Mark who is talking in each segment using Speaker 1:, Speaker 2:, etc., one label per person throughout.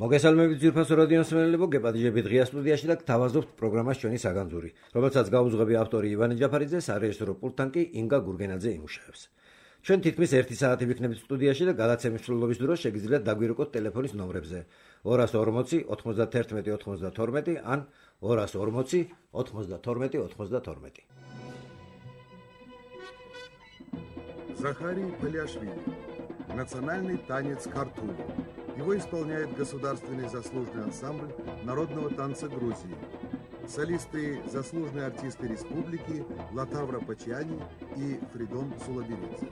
Speaker 1: მოგესალმებით ძვირფასო რადიოს მსმენელებო, გეპატიჟებით ღია სტუდიაში და გთავაზობთ პროგრამას ჩვენი საგანძური, რომელსაც გაუძღვები ავტორი ივანე ჯაფარიძე, სარეჟისორო პულტთან კი ინგა გურგენაძე იმუშავებს. ჩვენ თითქმის 1 საათი ვიქნებით სტუდიაში და გადაცემის მსვლელობის დროს შეგიძლიათ დაგვირეკოთ ტელეფონის ნომრებზე 240 91 92 ან 240 92 92.
Speaker 2: Захарий Паляшвили. Национальный танец «Картуль». Его исполняет государственный заслуженный ансамбль народного танца Грузии. Солисты – заслуженные артисты республики Латавра Пачиани и Фридон Сулаберидзе.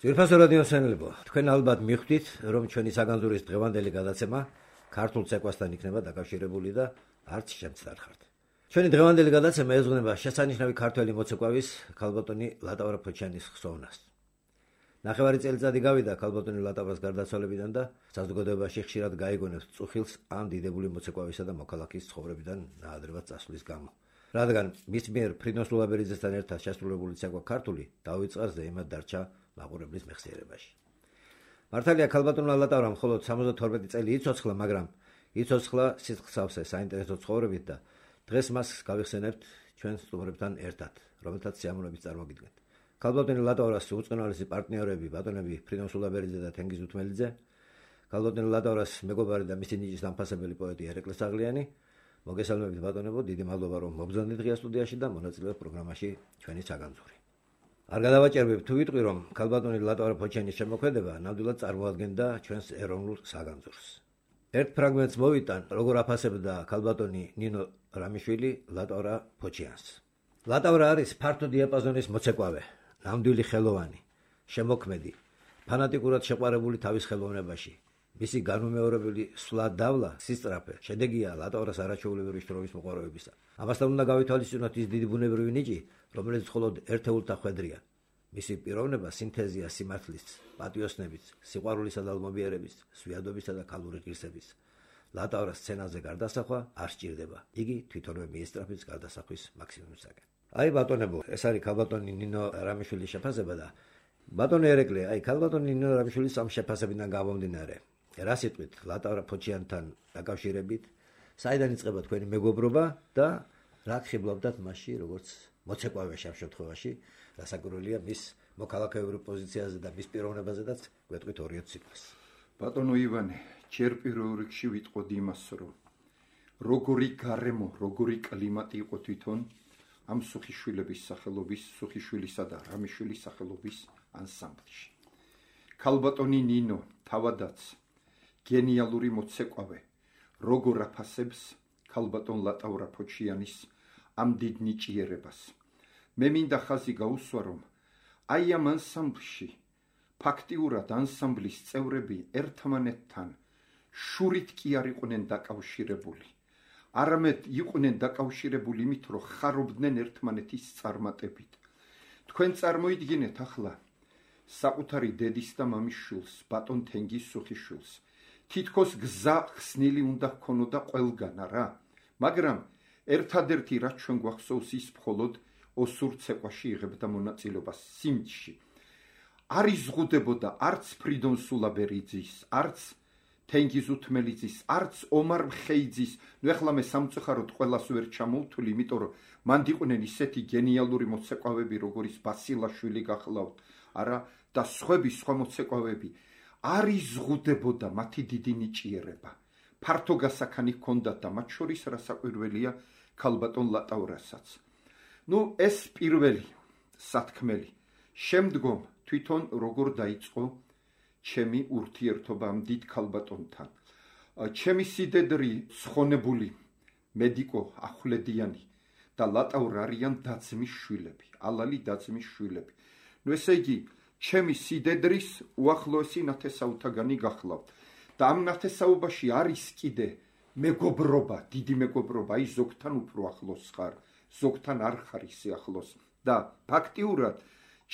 Speaker 1: ძვირფასო რადიოს მსმენელებო, თქვენ ალბათ მიხვდით, რომ ჩვენი საგანძურის დღევანდელი გადაცემა ქართულ ცეკვასთან იქნება დაკავშირებული და არც შემცდარ ხართ. ჩვენი დღევანდელი გადაცემა ეძღვნება შესანიშნავი ქართველი მოცეკვავის ქალბატონი ლატავრა ფოჩიანის ხსოვნას. ნახევარი წელიწადი გავიდა ქალბატონი ლატავრას გარდაცვალებიდან და საზოგადოებაში ხშირად გაიგონებს წუხილს ამ დიდებული მოცეკვავისა და მოქალაქის ცხოვრებიდან ნაადრევად წასვლის გამო. რადგან მის მიერ ფრიდონ სულაბერიძესთან ერთად შესრულებული ცეკვა ქართული დავიწყარზე იმად დარჩა მაყურებლის მეხსიერებაში. მართალია ქალბატონმა ლატავრამ მხოლოდ 72 წელი იცოცხლა, მაგრამ იცოცხლა სიცხსავსე საინტერესო ცხოვრებით და დღეს მას გავიხსენებთ ჩვენ სტუმრებთან ერთად, რომელთაც სიამოვნებით წარმოგიდგენთ. ქალბატონი ლატავრას უწყნარესი პარტნიორები ბატონები ფრიდონ სულაბერიძე და თენგიზ უთმელიძე, ქალბატონი ლატავრას მეგობარი და მისი ნიჭის დამფასებელი პოეტი ერეკლე საღლიანი. მოგესალმებით ბატონებო, დიდი მადლობა რომ მობრძანდით ღია სტუდიაში და მონაწილეობთ პროგრამაში ჩვენი საგანძური. არ გადავაჭერბებ თუ ვიტყვი, რომ ქალბატონი ლატავრა ფოჩიანის შემოქმედება ნამდვილად წარმოადგენდა ჩვენს ეროვნულ საგანძურს. ერთ ფრაგმენტს მოვიტან, როგორ აფასებდა ქალბატონი ნინო რამიშვილი ლატავრა ფოჩიანს. ლატავრა არის ფართო დიაპაზონის მოცეკვავე, ნამდვილი ხელოვანი, შემოქმედი, ფანატიკურად შეყვარებული თავის ხელოვნებაში. მისი განუმეორებელი სვლა დავლა სისწრაფე შედეგია ლატავრას არაჩვეულებრივი შრომის მოყვარებისა. ამასთან უნდა გავითვალისწინოთ ის დიდი ბუნებრივი ნიჭი, რომელიც მხოლოდ ერთეულთა ხვედრია. მისი პიროვნება სინთეზია სიმართლის, პატიოსნების, სიყვარულისა და ალმობიერების, სვიადობისა და ქალური ღირსების. ლატავრას სცენაზე გარდასახვა არ სჭირდება. იგი თვითონვე მიესწრაფის გარდასახვის მაქსიმუმისაკენ. აი ბატონებო, ეს არის ქალბატონი ნინო რამიშვილის შეფასება და ბატონი ერეკლე, აი ქალბატონი ნინო რამიშვილის ამ შეფასებიდან გამომდინარე, რა სიტყვით ლატავრა ფოჩიანთან დაკავშირებით, საიდან იწყება თქვენი მეგობრობა და რა ხიბლავდათ მასში, როგორც მოცეკვავეში ამ შემთხვევაში, რასაკვირველია მის მოქალაქეებრივ პოზიციაზე და მის პიროვნებაზედაც გვეტყვით 2 სიტყვას.
Speaker 3: ბატონო ივანე, ჯერ პირველ რიგში ვიტყოდი იმას, რომ როგორი გარემო, როგორი კლიმატი იყო თვითონ ამ სუხიშვილების სახელობის, სუხიშვილისა და რამიშვილის სახელობის ანსამბლში. ქალბატონი ნინო თავადაც გენიალური მოცეკვავე, როგორ აფასებს ქალბატონ ლატავრა ფოჩიანის ამ დიდ ნიჭიერებას. მე მინდა ხაზი გაუსვა, რომ აი ამ ანსამბლში ფაქტიურად ანსამბლის წევრები ერთმანეთთან შურით კი არ იყვნენ დაკავშირებული. არამედ იყვნენ დაკავშირებული იმით, რომ ხარობდნენ ერთმანეთის წარმატებით. თქვენ წარმოიდგინეთ ახლა საკუთარი დედის და მამის შვილს, ბატონ თენგიზ სუხიშვილს. თითქოს გზა ხსნილი უნდა ჰქონოდა ყველგან, არა? მაგრამ ერთადერთი რაც ჩვენ გვახსოვს ის მხოლოდ ოსურ ცეკვაში იღებდა მონაწილეობას სიმჯში. არ იზღუდებოდა არც ფრიდონ სულაბერიძის, არც თენგიზ უთმელიძის, არც ომარ მხეიძის. ნუ ეხლა მე სამწუხაროდ ყველას ვერ ჩამოვთვლი, იმიტომ რომ მანდ იყვნენ ისეთი გენიალური მოცეკვავები, როგორიც ბასილაშვილი გახლავთ, არა და სხვა მოცეკვავები. არ იზღუდებოდა მათი დიდი ნიჭიერება. ფართო გასაქანი ჰქონდათ და მათ შორის რასაკვირველია ქალბატონ ლატავრასაც. ნუ ეს პირველი სათქმელი. შემდგომ თვითონ როგორ დაიწყო ჩემი ურთიერთობა ამ დიდ ქალბატონთან. ჩემი სიდედრი ცხონებული მედიკო ახვლედიანი და ლატავრა არიან დაძმის შვილები, ალალი დაძმის შვილები. ნუ ესე იგი ჩემი სიდედრის უახლოესი ნათესაუთაგანი გახლავთ და ამ ნათესაობაში არის კიდე მეგობრობა, დიდი მეგობრობა, აი ზოგთან უფრო ახლოს ხარ, ზოგთან არ ხარ ისე ახლოს და ფაქტიურად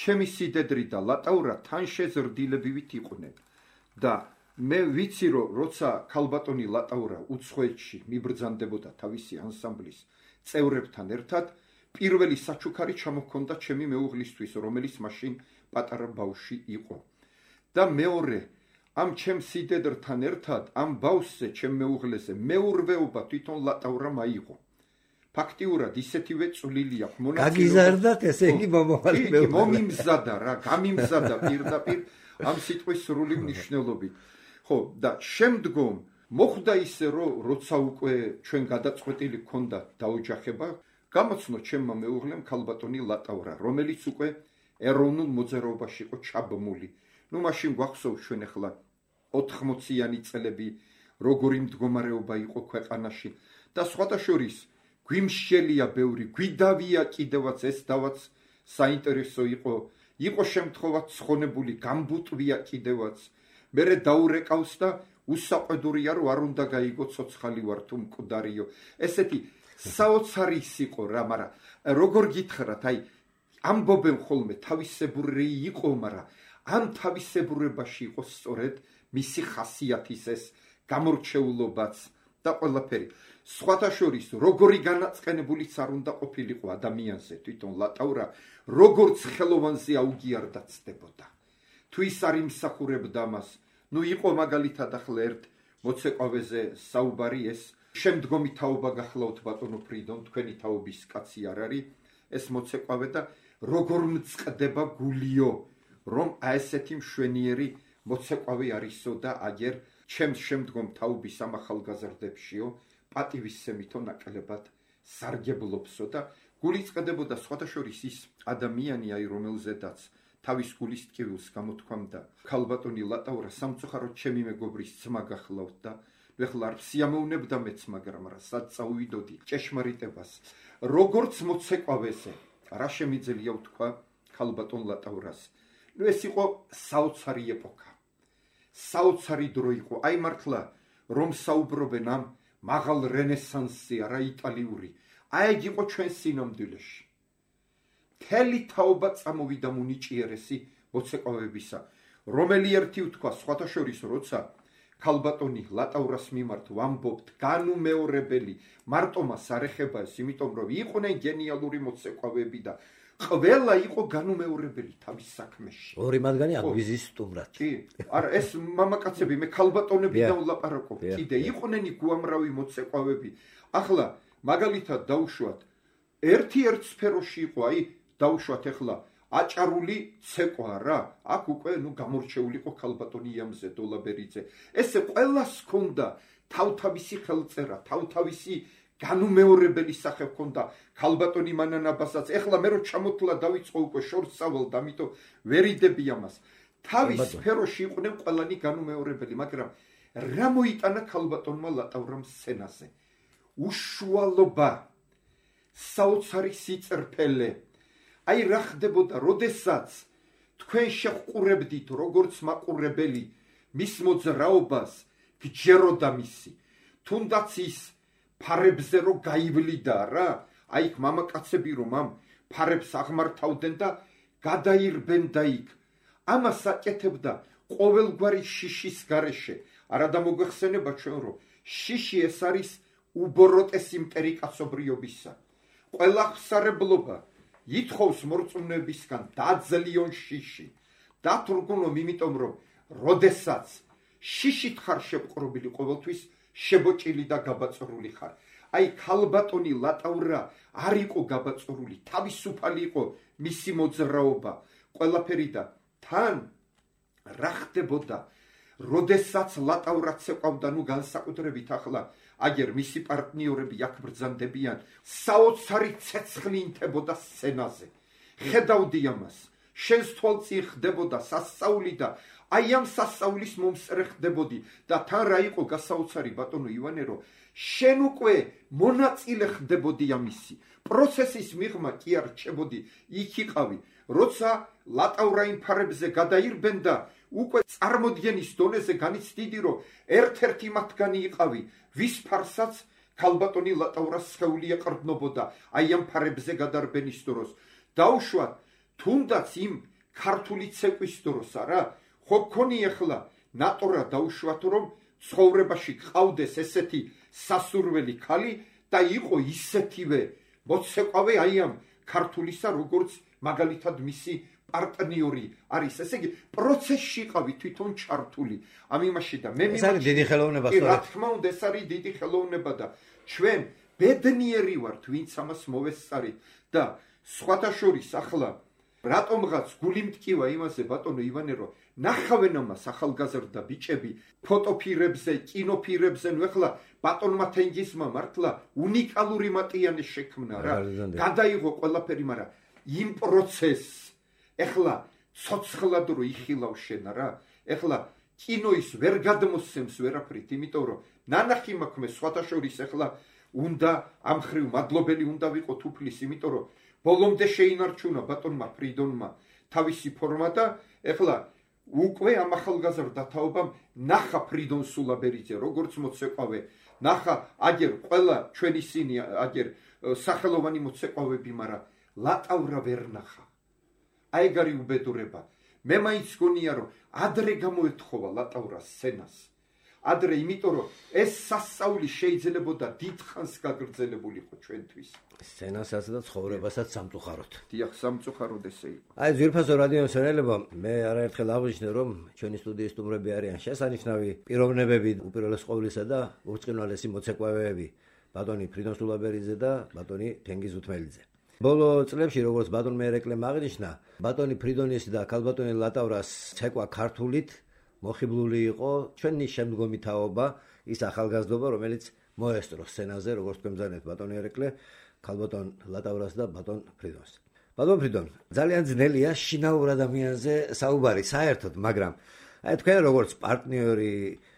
Speaker 3: ჩემი სიდედრი და ლატავრა თან შეზრდილებივით იყვნენ და მე ვიცი რომ როცა ქალბატონი ლატავრა უცხოეთში მიბრძანდებოდა თავისი ანსამბლის წევრებთან ერთად, პირველი საჩუქარი ჩამოჰქონდა ჩემი მეუღლისთვის, რომელიც მაშინ პატარა ბავშვი იყო და მეორე ამ ჩემ სიდედრთან ერთად ამ ბავშვზე, ჩემ მეუღლეზე მეურვეობა თვითონ ლატავრამ აიღო. ფაქტიურად ისეთივე წვლილი აქვს მონაწილეობა.
Speaker 1: გაგიზარდათ ესე იგი მომავალი მეუღლე.
Speaker 3: მომიმზადა რა, გამიმზადა პირდაპირ ამ სიტყვის სრული მნიშვნელობით. ხო, და შემდგომ მოხდა ისე, რომ როცა უკვე ჩვენ გადაწყვეტილი გქონდა დაოჯახება, გამოცნო ჩემმა მეუღლემ ქალბატონი ლატავრა, რომელიც უკვე ეროვნულ მოძრაობაში იყო ჩაბმული. ნუ მაშინ გვახსოვს ჩვენ ახლა 80-იანი წლები, როგორი მდგომარეობა იყო ქვეყანაში და სხვათა შორის გვიმშელია ბევრი, გვიდავია კიდევაც ეს დავაც საინტერესო იყო შემთხვევა ცხონებული, გამბუტვია კიდევაც. მერე დაურეკავს და უსაყვედურია რომ არ უნდა გაიგო ცოცხალი ვარ თუ მკვდარიო. ესეთი საოცარი იყო რა, მაგრამ როგორ გითხრათ, აი ამბობენ ხოლმე თავისებური იყო, მაგრამ ამ თავისებურებაში იყო სწორედ მისი ხასიათის ეს გამორჩეულობაც და ყველაფერი. სხვათა შორის როგორი განაწყენებულიც არ უნდა ყოფილიყო ადამიანზე თვითონ ლატავრა, როგორც ხელოვანზე აუგიარდა ცდებოდა. თუ ის არ იმსახურებდა მას, ნუ იყო მაგალითად ახლა ერთ მოცეკვავეზე საუბარი, ეს შემდგომი თაობა გახლავთ ბატონო ფრიდონ, თქვენი თაობის კაცი არ არის ეს მოცეკვავე და როგორ მწყდება გულიო, რომ აი ესეთი მშვენიერი მოცეკვავე არისო და აგერ ჩემს შემდგომ თაობის ამ ახალგაზრდებშიო პატივისცემითო ნაკლებად სარგებლობსო და გული წყდებოდა სხვათა შორის ის ადამიანი, აი რომელზედაც თავის გულის ტკივილს გამოთქვამდა ქალბატონი ლატავრა, სამწუხაროდ ჩემი მეგობრის ძმა გახლავთ და ეხლა არ სიამოვნებდა მეც, მაგრამ რა სად წავიდოდი ჭეშმარიტებას. როგორც მოცეკვავეზე, რა შემიძლია ვთქვა ქალბატონ ლატავრას. ნუ ეს იყო საოცარი ეპოქა. საოცარი დრო იყო. აი მართლა რომ საუბრობენ ამ მაღალ რენესანსზე, არა იტალიური. აი ეგ იყო ჩვენ სინამდვილეში. მთელი თაობა წამოვიდა მუნიჭიერესი მოცეკვავებისა, რომელი ერთი ვთქვა სხვათა შორის, როცა ქალბატონი ლატავრას მიმართ ვამბობთ განუმეორებელი, მარტო მას არ ეხება ეს, იმიტომ რომ იყვნენ გენიალური მოცეკვავები და ყველა იყო განუმეორებელი თავის საქმეში.
Speaker 1: ორი მათგანი აგვიზის სტუმრად.
Speaker 3: კი, არა, ეს მამაკაცები მე ქალბატონებიდან ვლაპარაკობ. კიდე იყვნენ უამრავი მოცეკვავები. ახლა მაგალითად დავუშვათ, ერთ სფეროში იყო, აი, დავუშვათ ახლა აჭარული ცეკვა რა. აქ უკვე გამორჩეული იყო ქალბატონი იამზე დოლაბერიძე. ესე ყველას ჰქონდა თავთავისი ხელწერა, თავთავისი განუმეორებელი სახე ჰქონდა ქალბატონი მანანაბასაც. ეხლა მე რო ჩამოთვლა დავიწყო უკვე შორსავალ, ამიტომ ვერიდები ამას. თავის სფეროში იყვნენ ყველანი განუმეორებელი, მაგრამ რა მოიტანა ქალბატონმა ლატავრამ სცენაზე? უშუალობა, საოცარი სიწერფელე. აი რა ხდებოდა, როდესაც თქვენ შეჰყურებდით როგორც მაყურებელი მის მოძრაობას, გჯეროდა მისი. თუნდაც ის ფარებზე რო გაივლიდა რა, აი იქ მამაკაცები რომ ამ ფარებს აღმართავდნენ და გადაირბენ და იქ. ამას აკეთებდა ყოველგვარი შიშის გარეშე. არა დამოგვეხსენება ჩვენ რომ შიში ეს არის უბოროტესი მტერიკაცობრიობისა. ყველა ხსარებლობა ითხოვს მორწმუნეებისგან დაძლიონ შიში. დათრგუნონ იმიტომ რომ როდესაც შიშით ხარ შეპყრობილი ყოველთვის შებოჭილი და გაბაწრული ხარ. აი ქალბატონი ლატავრა არ იყო გაბაწრული, თავისუფალი იყო მისი მოძრაობა, ყველაფერი და თან რა ხდებოდა, როდესაც ლატავრაც ეყავდა განსაკუთრებით ახლა აგერ მისი პარტნიორები აქ ბრძანდებიან, საოცარი ცეცხლი ინთებოდა სცენაზე. ხედავდი ამას, შენს თვალწინ ხდებოდა სასწაული და აი ამ სასწაულის მომსწრე ხდებოდი და თან რა იყო გასაოცარი ბატონო ივანე, რომ შენ უკვე მონაწილე ხდებოდი ამისი. პროცესის მიღმა კი არ რჩებოდი, იქ იყავი, როცა ლატავრა იმ ფარებზე გადაირბენდა, უკვე წარმოდგენის დონეზე განიცდიდი, რომ ერთ-ერთი მათგანი იყავი, ვის ფარსაც ქალბატონი ლატავრას სხეული ეყრდნობოდა, აი ამ ფარებზე გადარბენის დროს. დაუშვათ, თუნდაც იმ ქართული ცეკვის დროს არა, ხო გქონი ახლა ნატორა დაუშვათ, რომ ცხოვრებაში ყავდეს ესეთი სასურველი ქალი და იყო ისეთივე მოცეკვავე აი ამ ქართულისა, როგორც მაგალითად მისი პარტნიორი არის. ესე იგი, პროცესში ყავი თვითონ ჩართული ამ იმაში და მე
Speaker 1: ეს არის დიდი ხელოვნება
Speaker 3: სწორედ. რა თქმა უნდა, ეს არის დიდი ხელოვნება და ჩვენ ბედნიერი ვართ, ვინც ამას მოვესწარით და სხვათა შორის ახლა რატომღაც გული მტკივა იმაზე ბატონო ივანე, რომ ნახავენ ამას ახალგაზრდა ბიჭები ფოტოფირებზე, კინოფირებზე, ნუ ახლა ბატონმა თენგიზმა მართლა უნიკალური მატიანე შექმნა რა. გადაიღო ყველაფერი, მაგრამ იმ პროცესს ეხლა ცოცხლად რო იხილავ შენ რა. ეხლა კინოის ვერ გადმოსცემს ვერაფრით, იმიტომ რომ ნანახი მაქვს მე სხვათა შორის ეხლა უნდა ამ ხრივ მადლობელი უნდა ვიყოთ უფლის, იმიტომ რომ ბოლომდე შეინარჩუნა ბატონმა ფრიდონმა თავისი ფორმა და ეხლა უკვე ამ ახალგაზრდა თაობამ ნახა ფრიდონ სულაბერიძე როგორც მოცეკვავე, ნახა აგერ ყველა ჩვენ ისინი აგერ სახელოვანი მოცეკვავები, მაგრამ ლატავრა ვერ ნახა. აიგარი უბედურება. მე მაინც გონია რომ ადრე გამოეთხოვა ლატავრას სცენას. ადრე, იმიტომ რომ ეს სასწაული შეიძლებოდა დიდხანს გაგრძელებულიყო ჩვენთვის.
Speaker 1: სცენასაც და ცხოვრებასაც სამწუხაროდ.
Speaker 3: დიახ, სამწუხაროდ ესე იყო.
Speaker 1: აი ძვირფასო რადიო მსმენელებო, მე არაერთხელ აღვნიშნე, რომ ჩვენი სტუდიის სტუმრები არიან შესანიშნავი პიროვნებები, უპირველეს ყოვლისა და ურწყინვალესი მოცეკვავეები, ბატონი ფრიდონ სულაბერიძე და ბატონი თენგიზ უთმელიძე. ბოლო წლებში, როგორც ბატონმა ერეკლემ აღნიშნა, ბატონი ფრიდონის და ქალბატონი ლატავრას ცეკვა ქართულით მოხიბლული იყო ჩვენი შემდგომი თაობა, ის ახალგაზრდობა, რომელიც მოესწრო სცენაზე, როგორც თქვენ ბრძანეთ ბატონი ერეკლე, ქალბატონ ლატავრას და ბატონ ფრიდონს. ბატონ ფრიდონ, ძალიან ძნელია შინაურ ადამიანზე საუბარი საერთოდ, მაგრამ აი თქვენ როგორც პარტნიორი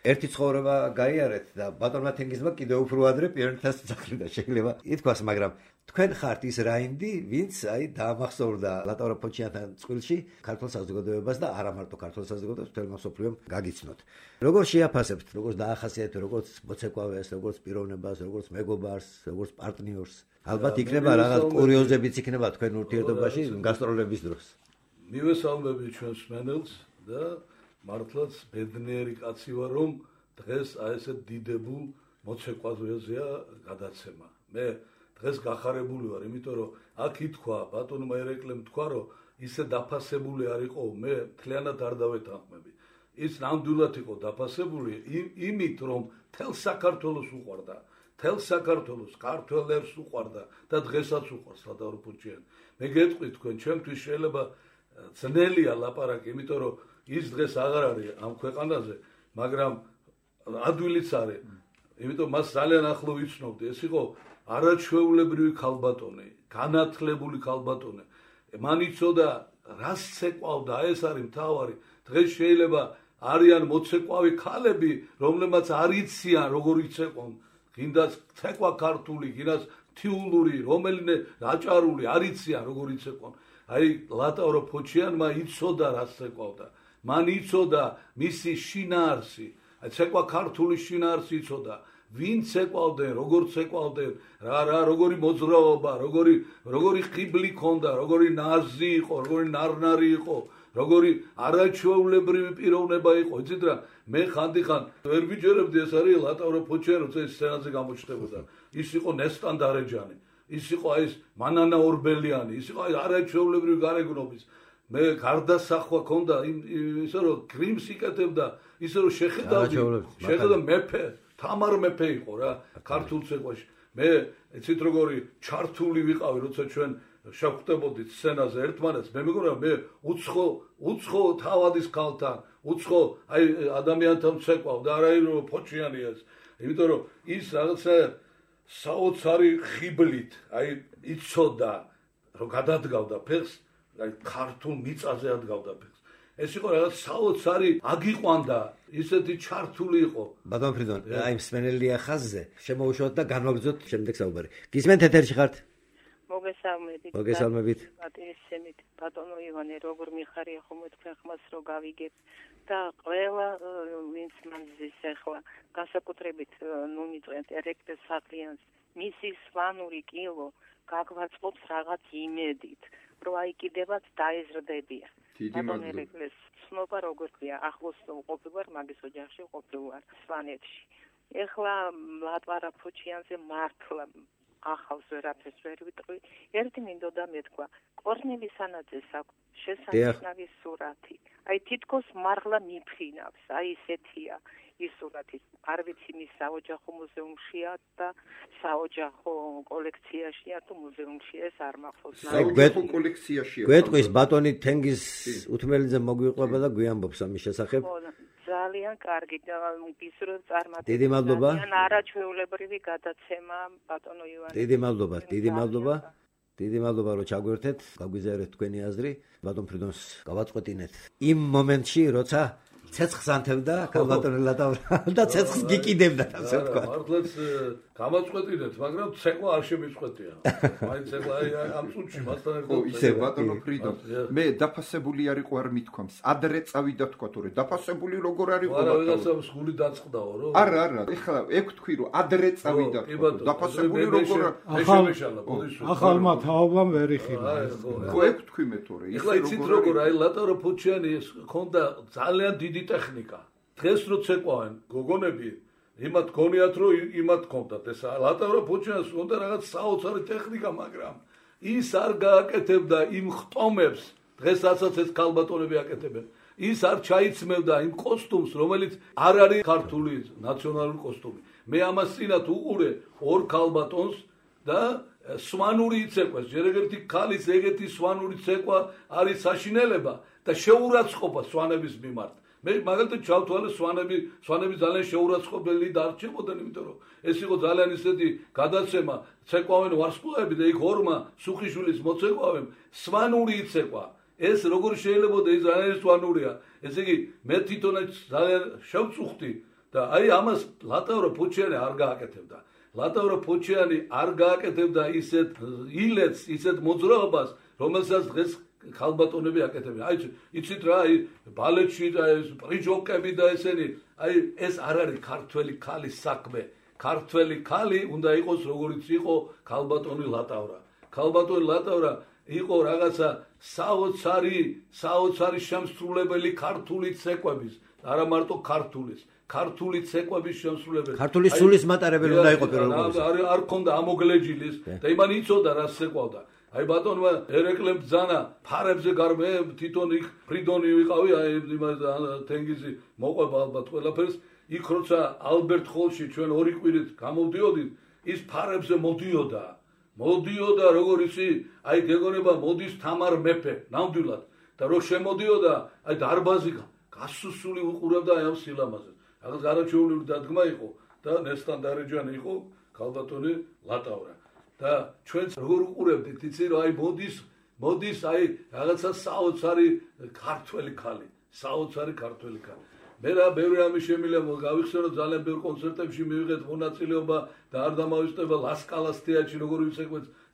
Speaker 1: ერთი ცხოვრება გაიარეთ და ბატონმა თენგიზმა კიდევ უფრო ადრე პირნათას ძახილდა შეიძლება ითქვას, მაგრამ თქვენ ხართ ის რაინდი, ვინც აი დაამახსოვრდა ლატავრა ფოჩიანთან წყვილში ქართულ საზოგადოებას და არა მარტო ქართულ საზოგადოებას, მთელმა მსოფლიომ გაგიცნოთ. როგორ შეაფასებთ, როგორც დაახასიათებთ, როგორც მოცეკვავეს, როგორც პიროვნებას, როგორც მეგობარს, როგორც პარტნიორს? ალბათ იქნება რაღაც კურიოზებიც იქნება თქვენ ურთიერთობაში გასტროლების დროს.
Speaker 4: მივესალმები ჩვენს მსმენელს და მართლაც ბედნიერი კაცი ვარ, რომ დღეს აი ესე დიდებულ მოცეკვავეზეა გადაცემა. მე დღეს გახარებული ვარ, იმიტომ რომ აქ ითქვა ბატონმა ერეკლემ თქვა, რომ ისე დაფასებული არ იყო, მე მთლიანად არ დავეთანხმები. ის ნამდვილად იყო დაფასებული იმით, რომ თელ საქართველოს უყვარდა, თელ საქართველოს ქართველებს უყვარდა და დღესაც უყვარს ლატაურო ფუჩიანი. მე გეტყვით თქვენ, ჩემთვის შეიძლება ძნელია ლაპარაკი, იმიტომ რომ ის დღეს აღარ არის ამ ქვეყანაზე, მაგრამ ადვილიც არის. იმიტომ მას ძალიან ახლო ვიცნობდი. ეს იყო არაჩვეულებრივი ქალბატონი, განათლებული ქალბატონი. მან იცოდა რას ცეკვავდა, ეს არის მთავარი. დღეს შეიძლება არიან მოცეკვავი ქალები, რომლებმაც არ იციან როგორ იცეკვონ. გინდას ცეკვა ქართული, გინდას თიულური, რომელიმე აჭარული, არ იციან როგორ იცეკვონ. აი ლატაურო ფუჩიანმა იცოდა რას ცეკვავდა. მან იცოდა მისი შინაარსი. აი ცეკვა ქართული შინაარსი იცოდა. ვინ ცეკვავდნენ, როგორ ცეკვავდნენ, როგორი მოძრაობა, როგორი ხიბლი ქონდა, როგორი ნაზი იყო, როგორი ნარნარი იყო, როგორი არაჩვეულებრივი პიროვნება იყო. იცით რა, მე ხანდახან ვერ ვიჯერებდი ეს არის ლატაურო ფუჩიანი, როცა ეს სცენაზე გამოჩნდებოდა. ის იყო ნესტან დარეჯანი, ის იყო აი ეს მანანა ორბელიანი, ის იყო აი არაჩვეულებრივი გარეგნობის. მე გარდასახვა ქონდა ისე რომ გრიმს იკეთებდა, ისე რომ შეხედავდი მეფე თამარ მეფე იყო რა ქართულ ცეკვაში. მე იცით როგორი ჩართული ვიყავი, როცა ჩვენ შევხვდებოდით სცენაზე ერთმანეთს. მე მეგონა მე უცხო თავადის ქალთან, უცხო აი ადამიანთან ცეკვავ და არა რომ ფოჩიანია ეს. იმიტომ რომ ის რაღაცა საოცარი ხიბლით, აი იცოდა რომ გადადგავდა ფეხს, აი ქართულ მიწაზე ადგავდა ფეხს. ეს იყო რაღაც საოცარი აგიყვანდა, ისეთი ჩართული იყო.
Speaker 1: ბატონ ფრიდონ, აი მსმენელია ხაზზე, შემოუშვათ და განვაგრძოთ შემდეგ საუბარი. გისმენთ ეთერში ხართ? მოგესალმებით.
Speaker 5: პატივისცემით, ბატონო ივანე, როგორ მიხარია ხოლმე თქვენ ხმას რო გავიგებთ და ყველა ვინც მანძის ახლა განსაკუთრებით მიწყენთ ერეკლეს სახლიანს, მისი სვანური კილო გაგვაწყობს რაღაც იმედით, რომ აი კიდევაც დაეზრდებიან. ბატონო ერეკლეს ცნობა როგორ ქვია, ახლოს ყოფილვარ, მაგის ოჯახში ყოფილვარ სვანეთში. ეხლა ლატვარა ფუჩიანზე მართლა ახავს ვერაფერს ვერ ვიტყვი. ერთი მინდოდა მეთქვა, კორნელი სანაძეს აქვს შესანიშნავი სურათი. აი თითქოს მართლა მიფხინავს, აი ესეთია ის სურათი. არ ვიცი მის საოჯახო მუზეუმშია და საოჯახო კოლექციაშია თუ მუზეუმში ეს არ მახსოვს.
Speaker 3: საოჯახო კოლექციაშია.
Speaker 1: გვეტყვის ბატონი თენგიზ უთმელიძე მოგვიყვება და გვიამბობს ამის შესახებ.
Speaker 5: ძალიან კარგი და გისურვებ წარმატებას.
Speaker 1: დიდი მადლობა.
Speaker 5: არაჩვეულებრივი გადაცემა ბატონო ივანე.
Speaker 1: დიდი მადლობა რომ ჩაგვერთეთ, გაგვიზიარეთ თქვენი აზრი. ბატონ ფრიდონს გავაწყვეტინეთ იმ მომენტში, როცა ცეცხლს ანთებდა ბატონი ლატაურა და ცეცხლს გიკიდებდა, ასე ვთქვა.
Speaker 4: მართლაც გამაწყვეტინეთ, მაგრამ ცეკვა არ შემიწყვეტია. მაინც ცეკვა ამ წუთში მასთან ერთად.
Speaker 3: ისე ბატონო ფრიდონ, მე დაფასებული არ იყო არ მithქვამს. ადრე წავიდა თქვა თორე დაფასებული როგორ არ იყო ბატონო.
Speaker 4: არა, ვიღაცას გული დაწყდაო, რო?
Speaker 3: არა, ეხლა ეგ თქვი რომ ადრე წავიდა თქვა. დაფასებული როგორ
Speaker 6: ახალმა თაობამ ვერ იხილა.
Speaker 3: ხო ეგ თქვი მე თორე.
Speaker 4: ეხლა იცით როგორ აი ლატაურო ფუჩიანი ქონდა ძალიან დიდი ტექნიკა. დღეს რო ცეკვავენ გოგონები, იმათ გონიათ რომ იმათ ქონდათ ეს ლატაურო ფუჩიანს ქონდა რაღაც საოცარი ტექნიკა, მაგრამ ის არ გააკეთებდა იმ ხტომებს, დღესაც ეს ქალბატონები აკეთებენ. ის არ ჩაიცმევდა იმ კოსტუმს, რომელიც არ არის ქართული ნაციონალური კოსტუმი. მე ამას წინათ უყურე ორ ქალბატონს და სვანური იცეკვეს. ჯერ ეგეთი ქალის ეგეთი სვანური ცეკვა არის საშინელება და შეურაცხყოფა სვანების მიმართ. მე მაგალითად ჩავთვალე სვანები ძალიან შეურაცხყოფელი დარჩებოდნენ, იმიტომ რომ ეს იყო ძალიან ისეთი გადაცემა, ცეკვავენ ვარსკვლავები და იქ ორმა სუხიშვილის მოცეკვავემ სვანური იცეკვა. ეს როგორ შეიძლება და ის ძალიან სვანურია. ესე იგი მე თვითონაც ძალიან შევწუხდი და აი ამას ლატაურო ფუჩიანი არ გააკეთებდა. ლატაურო ფუჩიანი არ გააკეთებდა ისეთ ილეთს, ისეთ მოძრაობას, რომელსაც დღეს ქალბატონები აკეთებენ. აი იცით რა, აი ბალეტში და ეს პრიჯოკები და ესენი, აი ეს არ არის ქართველი ქალის საქმე. ქართველი ქალი უნდა იყოს როგორც იყო ქალბატონი ლატაურა. ქალბატონი ლატაურა იყო რაღაცა საოცარი შემსრულებელი ქართული ცეკვების, არა მარტო ქართული ცეკვების შემსრულებელი.
Speaker 1: ქართული სულის მატარებელი უნდა იყო პირველ რიგში.
Speaker 4: არ ქონდა ამოგლეჯილის და იმან იცოდა რა ცეკვავდა. აი ბატონმა ერეკლემ ბძანა ფარებზე გარმე თვითონ იქ ფრიდონი ვიყავი, აი თენგიზი მოყვება ალბათ ყველაფერს. იქ როცა ალბერტ ჰოლში ჩვენ ორი კვირით გამოვდიოდით, ის ფარებზე მოდიოდა როგორ იცი, აი გეგონება მოდის თამარ მეფე, ნამდვილად და რო შემოდიოდა, აი დარბაზი გასუსული უყურებდა აი ამ სილამაზეს. რაღაც გარაჩეული დადგმა იყო და ნესტანდარეჯანი იყო ქალბატონი ლატავრა. და ჩვენც როგორ უყურებდით, იცი რომ აი მოდის აი რაღაცა საოცარი ქართველი ქალი. მე რა ბევრი რამე შემიძლია გავიხსენო, ძალიან ბევრ კონცერტებში მივიღეთ მონაწილეობა და არ დამავიწყდება ლასკალას თეატრში როგორი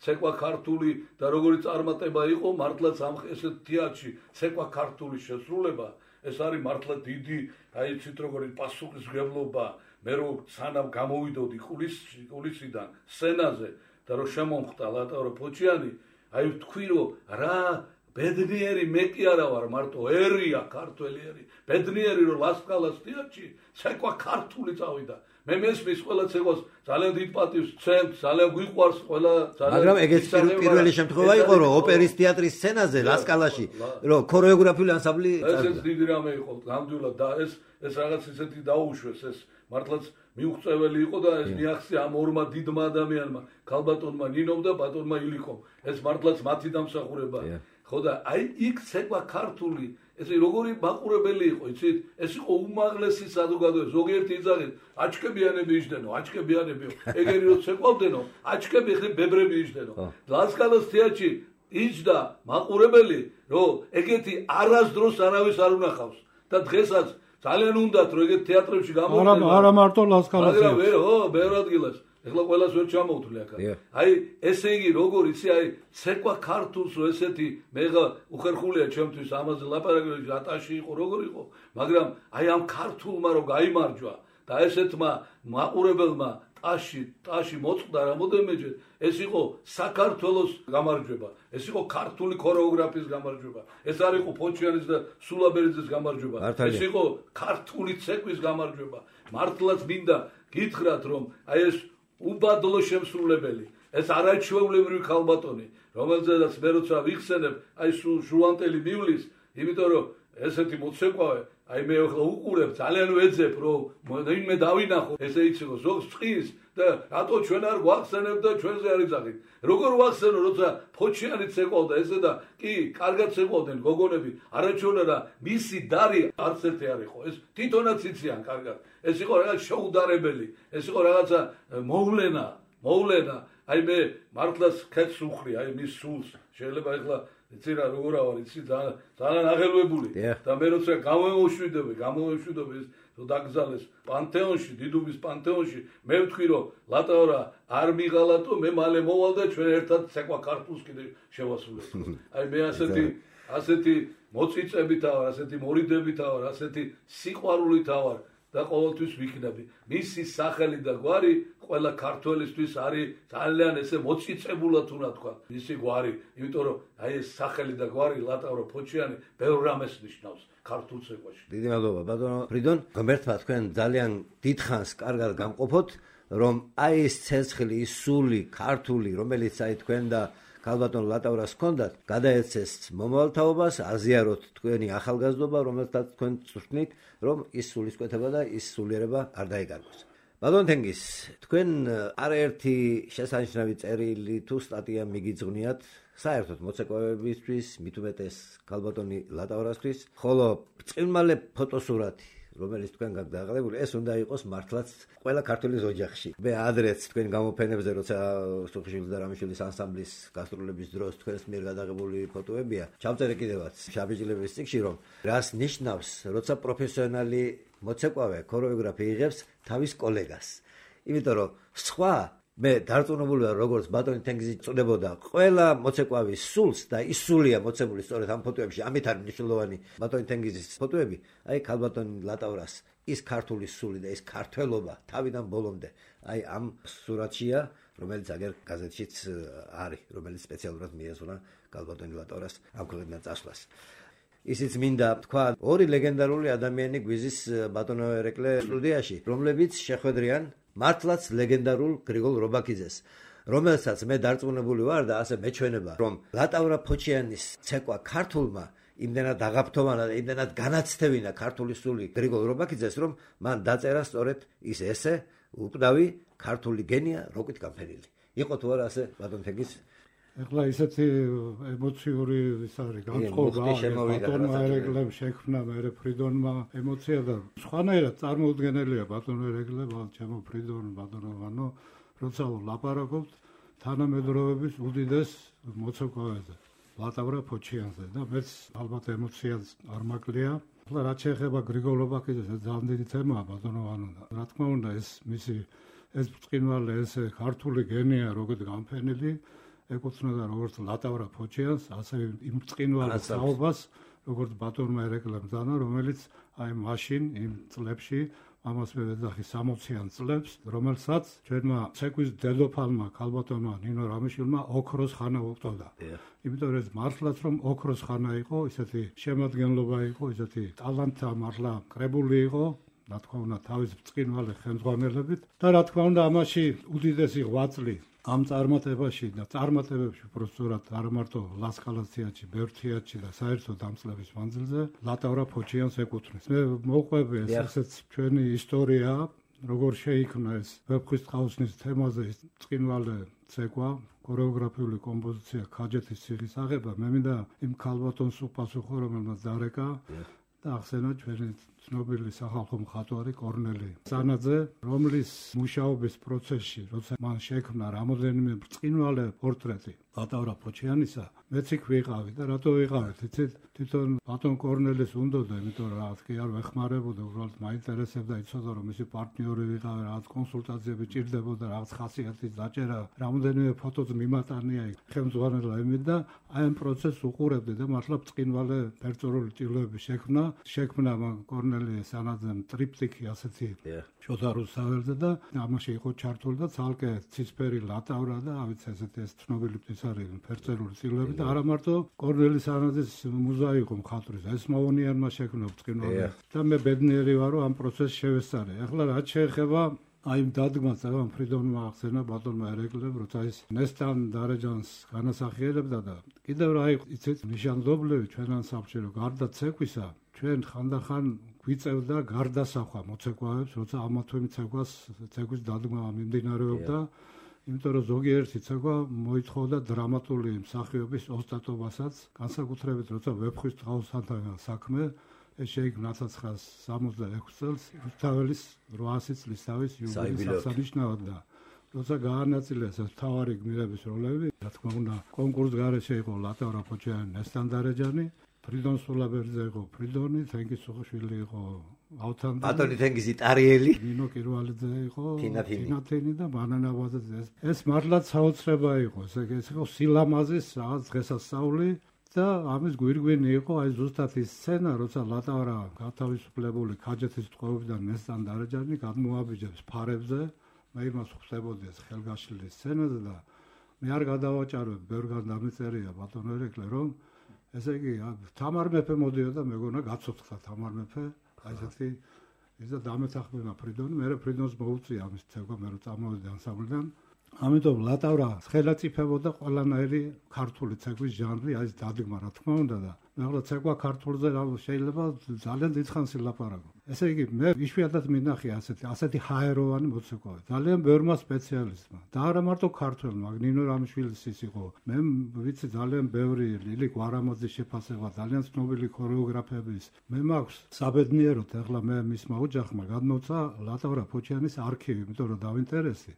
Speaker 4: ცეკვა ქართული და როგორი წარმატება იყო მართლაც ამ ესეთ თეატრში ცეკვა ქართული შესრულება. ეს არის მართლა დიდი, აი იცით როგორი პასუხისმგებლობა. მე რო სანამ გამოვიდოდი კულისიდან სცენაზე და რო შემომხვდა ლატავრა ფოჩიანი, აი ვთქვი რომ რა ბედნიერი მე კი არა ვარ, მარტო ერია ქართველი ერი. ბედნიერი რომ ლასკალას თეატრში ცეკვა ქართული წავიდა. მე მესმის ყველა ცეკვას ძალიან დიდ პატივს ვცემ, ძალიან გვიყვარს ყველა ძალიან.
Speaker 1: მაგრამ ეგეც პირველი შემთხვევა იყო რომ ოპერის თეატრის სცენაზე ლასკალაში რომ ქორეოგრაფიული ანსამბლი
Speaker 4: წავიდა. ეს დიდი რამე იყო ნამდვილად და ეს რაღაც ისეთი დაუშვეს, ეს მართლაც მიუღწეველი იყო და ეს მიაღწია ამ ორმა დიდმა ადამიანმა, ქალბატონმა ნინომ და ბატონმა ილიქომ. ეს მართლაც მათი დამსახურებაა. ხო და აი იქ ცეკვა ქართული, ეს როგორი მაყურებელი იყო, იცით? ეს იყო უმაღლესი საზოგადოება. ზოგიერთი იძახით, აჩქებიანები იჯდენო, ეგერი რო ცეკვავდენო, აჩქები ხე ბებრები იჯდენო. ლასკალას თეატრში იჯდა მაყურებელი, რომ ეგეთი არასდროს არავის არ უნახავს და დღესაც ძალიან უნდათ რომ ეგეთ თეატრებში გამოვიდნენ.
Speaker 6: არა მარტო ლასკალას.
Speaker 4: მაგრამ ბევრ ადგილას ეხლა ყველას ვერ ჩამოვთვლი აქ. აი ესე იგი როგორ იცი, აი ცეკვა ქართულს რო ესეთი მეღა უხერხულია ჩემთვის ამაზე ლაპარაკი ატაში იყო როგორ იყო, მაგრამ აი ამ ქართულმა რო გაიმარჯვა და ესეთმა მაყურებელმა ტაში მოწყდა რამოდენმეჯერ, ეს იყო საქართველოს გამარჯვება, ეს იყო ქართული ქორეოგრაფიის გამარჯვება, ეს არ იყო ფოჩიანის და სულაბერიძის გამარჯვება, ეს იყო ქართული ცეკვის გამარჯვება. მართლაც მინდა გითხრათ რომ აი ეს უბადლო შემსრულებელი, ეს არაჩვეულებრივი ქალბატონი, რომელზედაც მე როცა ვიხსენებ, აი ჟუანტელი მივლის, იმიტომ რომ ესეთი მოცეკვავე, აი მე ახლა უყურებ, ძალიან ვეძებ, რომ მე დავინახო, ესე იცი რომ ზოგს წყის და რატო ჩვენ არ გვახსენებთ და ჩვენზე არ იძახით. როგორ ვახსენო, როცა ფოჩიანი ცეკვავდა ესე და კი, კარგად ცეკვავდნენ გოგონები, არაჩვეულა მისი დარი არც ერთი არ იყო. ეს თვითონაც იციან კარგად. ეს იყო რაღაც შეუდარებელი, ეს იყო რაღაცა მოვლენა. აი მე მართლაც ხეთს უხრი, აი მის სულს. შეიძლება ეხლა იცი რა როგორ ავარ, იცი ძალიან აღელვებული და მე როცა გამოვშვიდები ეს დაგზალეს პანთეონში, დიდუბის პანთეონში, მე ვთქვი რომ ლატავრა არ მიღალატო, მე მალე მოვალ და ჩვენ ერთად ცეკვა ქართულს კიდე შევასრულებთ. აი მე ასეთი მოწიწებით ვარ, ასეთი მორიდებით ვარ, ასეთი სიყვარულით ვარ და ყოველთვის ვიქნები. მისი სახელი და გვარი ყველა ქართველისთვის არის ძალიან ესე მოწიწებულად უნდა თქვა. მისი გვარი, იმიტომ რომ აი ეს სახელი და გვარი ლატავრო ფოჩიანი ბევრ რამეს ნიშნავს ქართულ ცეკვაში.
Speaker 1: დიდი მადლობა ბატონო ფრიდონ. ღმერთმა თქვენ ძალიან დიდხანს კარგად გამყოფოთ, რომ აი ეს ცეცხლი, ის სული ქართული, რომელიც აი თქვენ და ქალბატონ ლატავრას ჰქონდათ, გადაეცეს მომავალთაობას, აზიაროთ თქვენი ახალგაზრდობა, რომელსაც თქვენ წვრთნით, რომ ის სულისკვეთება და ის სულიერება არ დაიგარგოს. ბატონ თენგიზ, თქვენ არაერთი შესანიშნავი წერილი თუ სტატია მიგიძღვნიათ საერთოდ მოცეკვავებისთვის, მით უმეტეს ქალბატონი ლატავრასთვის, ხოლო ბრწყინვალე ფოტოსურათი, რომელიც თქვენ გაქვთ დაღლებული, ეს უნდა იყოს მართლაც ყველა ქართულის ოჯახში. მე ადრეც თქვენ გამოფენებზე, როცა სოფიშვილის და რამიშვილის ანსამბლის გასტროლების დროს თქვენს მიერ გადაღებული ფოტოებია, ჩავწერე კიდევაც შაბიჯილების წიგნში, რომ რას ნიშნავს, როცა პროფესიონალი მოცეკვავე, ქორეოგრაფი იღებს თავის კოლეგას. იმიტომ რომ სხვა მე დარწმუნებული ვარ, როგორც ბატონი თენგიზი წოდებოდა, ყველა მოცეკვავის სულს და ის სულია მოცემული სწორედ ამ ფოტოებში, ამით არის მნიშვნელოვანი ბატონი თენგიზის ფოტოები, აი ქალბატონი ლატავრას ის ქართული სული და ის ქართველობა თავიდან ბოლომდე, აი ამ სურათშია, რომელიც აგერ გაზეთშიც არის, რომელიც სპეციალურად მიეძღვნა კალბატონი ლატავრას ამ ქვეყნიდან წასვლას. ისიც მინდა თქვა, ორი ლეგენდარული ადამიანი გვიზის ბატონო ერეკლე სტუდიაში, რომლებიც შეხვედრიან მართლაც ლეგენდარულ გრიგოლ რობაქიძეს, რომელსაც მე დარწმუნებული ვარ და ასე მეჩვენება, რომ ლატავრა ფოჩიანის ცეკვა ქართულმა იმდენად აღაფრთოვანა და იმდენად განაცდევინა ქართული სული გრიგოლ რობაქიძეს, რომ მან დაწერა სწორედ ის ესე უკვდავი ქართული გენია როკით გამფენილი. იყო თუ არა ასე ბატონ თენგის?
Speaker 6: ეხლა ისეთი ემოციური ის არის განწყობა ბატონმა ერეკლემ შექმნა მე ფრიდონმა ემოცია და სხვანაირად წარმოუდგენელია ბატონ ერეკლე ჩემო ფრიდონ ბატონო როცა ვლაპარაკობთ თანამედროვეების უდიდეს მოცეკვავეზე ლატავრა ფოჩიანზე და მეც ალბათ ემოციას არ მაკლია. ახლა რაც შეეხება გრიგოლ რობაქიძეს ძალიან დიდი თემაა ბატონო რა თქმა უნდა ეს ბრწყინვალე ესე ქართული გენია როგორც გამფენილი ეკუთვნოდა როგორც ლატავრა ფოჩიანს, ასე იმ ბრწყინვალე საუბას, როგორც ბატონმა ერეკლემ დანა, რომელიც აი მაშინ იმ წლებში ამას მე ვეძახი 60-იან წლებს, რომელსაც ჩვენმა ცეკვის დედოფალმა ქალბატონმა ნინო რამიშვილმა ოქროს ხანა უწოდა. იმიტომ რომ მართლაც რომ ოქროს ხანა იყო, ისეთი შემადგენლობა იყო, ისეთი ტალანტა მართლა კრებული იყო. რა თქმა უნდა თავის ბრწყინვალე ხელმძღვანელობით და რა თქმა უნდა ამაში უდიდესი ღვაწლი ამ წარმატებაში და წარმატებებში უბრალოდ არ მარტო ლასკალას თეატრში, ბევრ თეატრში და საერთოდ ამ წლების მანძილზე ლატავრა ფოჩიანს ეკუთვნის. მე მოვყვები ესეც ჩვენი ისტორია, როგორ შეიქმნა ეს ვეფხვის ტყაოსნის თემაზე ის ბრწყინვალე ცეკვა, ქორეოგრაფიული კომპოზიცია ქაჯეთის ციხის აღება. მე მინდა იმ ქალბატონს უპასუხო, რომელმაც დარეკა და ახსენა ჩვენი ცნობილი სახალხო მხატვარი კორნელი სანაძე, რომლის მუშაობის პროცესში, როცა მან შექმნა რამოდენიმე ბრწყინვალე პორტრეტი ლატავრა ფოჩიანისა, მეც იქ ვიყავი და რატო ვიყავით? იცით, თვითონ ბატონ კორნელის უნდოდა, იმიტომ რომ რა თქი არ ვეხმარებოდა, უბრალოდ მაინტერესებდა, იცოდა რომ მისი პარტნიორი ვიყავი, რაღაც კონსულტაციები ჭირდებოდა, რაღაც ხასიათის დაჭერა, რამოდენიმე ფოტოც მიმატანია იქ ხელმძღვანელმა იმით და აი ამ პროცესს უყურებდი და მართლა ბრწყინვალე პერწორული ტილოები შექმნა მან კორნელი სანაძემ ტრიპტიკი ასეთი შოთა რუსაველზე და ამაში იყო ჩართული და ცალკე ცისფერი ლატავრა და ავიც ესეთი ეს ცნობილი ის არის ფერწერული ტილოები და არა მარტო კორნელი სანაძის მუზა იყო მხატვრის, ეს მოუნიანმა შექმნა ბრწყინვალე და მე ბედნიერი ვარ რომ ამ პროცესს შევესწარე. ახლა რაც შეეხება აი დადგმას ამ ფრიდონმა ახსენა ბატონმა ერეკლემ, როცა ის ნესტან დარეჯანს განასახიერებდა და კიდევ რა იყო იცით ნიშანდობლივი ჩვენან საბჭორო გარდა ცეკვისა ჩვენ ხანდახან გვიწევდა გარდასახვა მოცეკვავებს, როცა ამათვე ცეკვის დადგმა მიმდინარეობდა, იმიტომ რომ ზოგიერთი ცეკვა მოითხოვდა დრამატული მსახიობის ოსტატობასაც, განსაკუთრებით როცა ვეფხვის ტყაოსთან საქმე ეს შეიქმნა 1966 წელს რუსთაველის 800 წლის თავის იუბილეის აღსანიშნავად და როცა გაანაწილეს ეს მთავარი გმირების როლები, რა თქმა უნდა კონკურს გარეშე იყო ლატავრა ფოჩიანი, ნესტან დარეჯანი, ფრიდონ სულაბერძე იყო ფრიდონი, თენგიზ სუხუშვილი იყო ავთანდა,
Speaker 1: ბატონი თენგიზი ტარიელი,
Speaker 6: ნინო კირვალიძე იყო თინათინი და ბანანაბაძე. ეს მართლაც საოცრება იყო, ეს იყო სილამაზის რაღაც დღესასწაული და ამის გვირგვინი იყო აი ზუსტად ის სცენა, როცა ლატავრა გათავისუფლებული ქაჯეთის ტყვეობიდან ნესტან დარეჯანი გადმოაბიჯებს ფარებზე, მე იმას ხვდებოდი ეს ხელგაშლილი სცენაზე და მე არ გადავაჭარებ, ბევრგან დამეწერია ბატონო ერეკლე, რომ ესე იგი თამარ მეფე მოდიოდა, მეგონა გაცოცხლა თამარ მეფე, აი ესეთი ის და დამეთახმება ფრიდონი, მე ფრიდონს მოუწია ამის ცეკვა, მე რომ წამოვედი ანსამბლიდან. ამიტომ ლატავრა ხელაწიფებოდა ყველანაირი ქართული ცეკვის ჟანრი, აი ეს დადგმა რა თქმა უნდა და მე ახლა ცეკვა ქართულზე შეიძლება ძალიან დიდხანს ილაპარაკო. ესე იგი მე იშვიათად მინახია ასეთი ჰაეროვანი მოცეკვავე. ძალიან ბევრმა სპეციალისტმა და არა მარტო ქართველმა, ნინო რამიშვილის ის იყო. მე ვიცი ძალიან ბევრი ლილი გვარამოძის შეფასება, ძალიან ცნობილი ქორეოგრაფების. მე მაქვს საბედნიეროდ ახლა მე მისმა ოჯახმა გადმოცა ლატავრა ფოჩიანის არქივი, იმიტომ რომ დავინტერესი.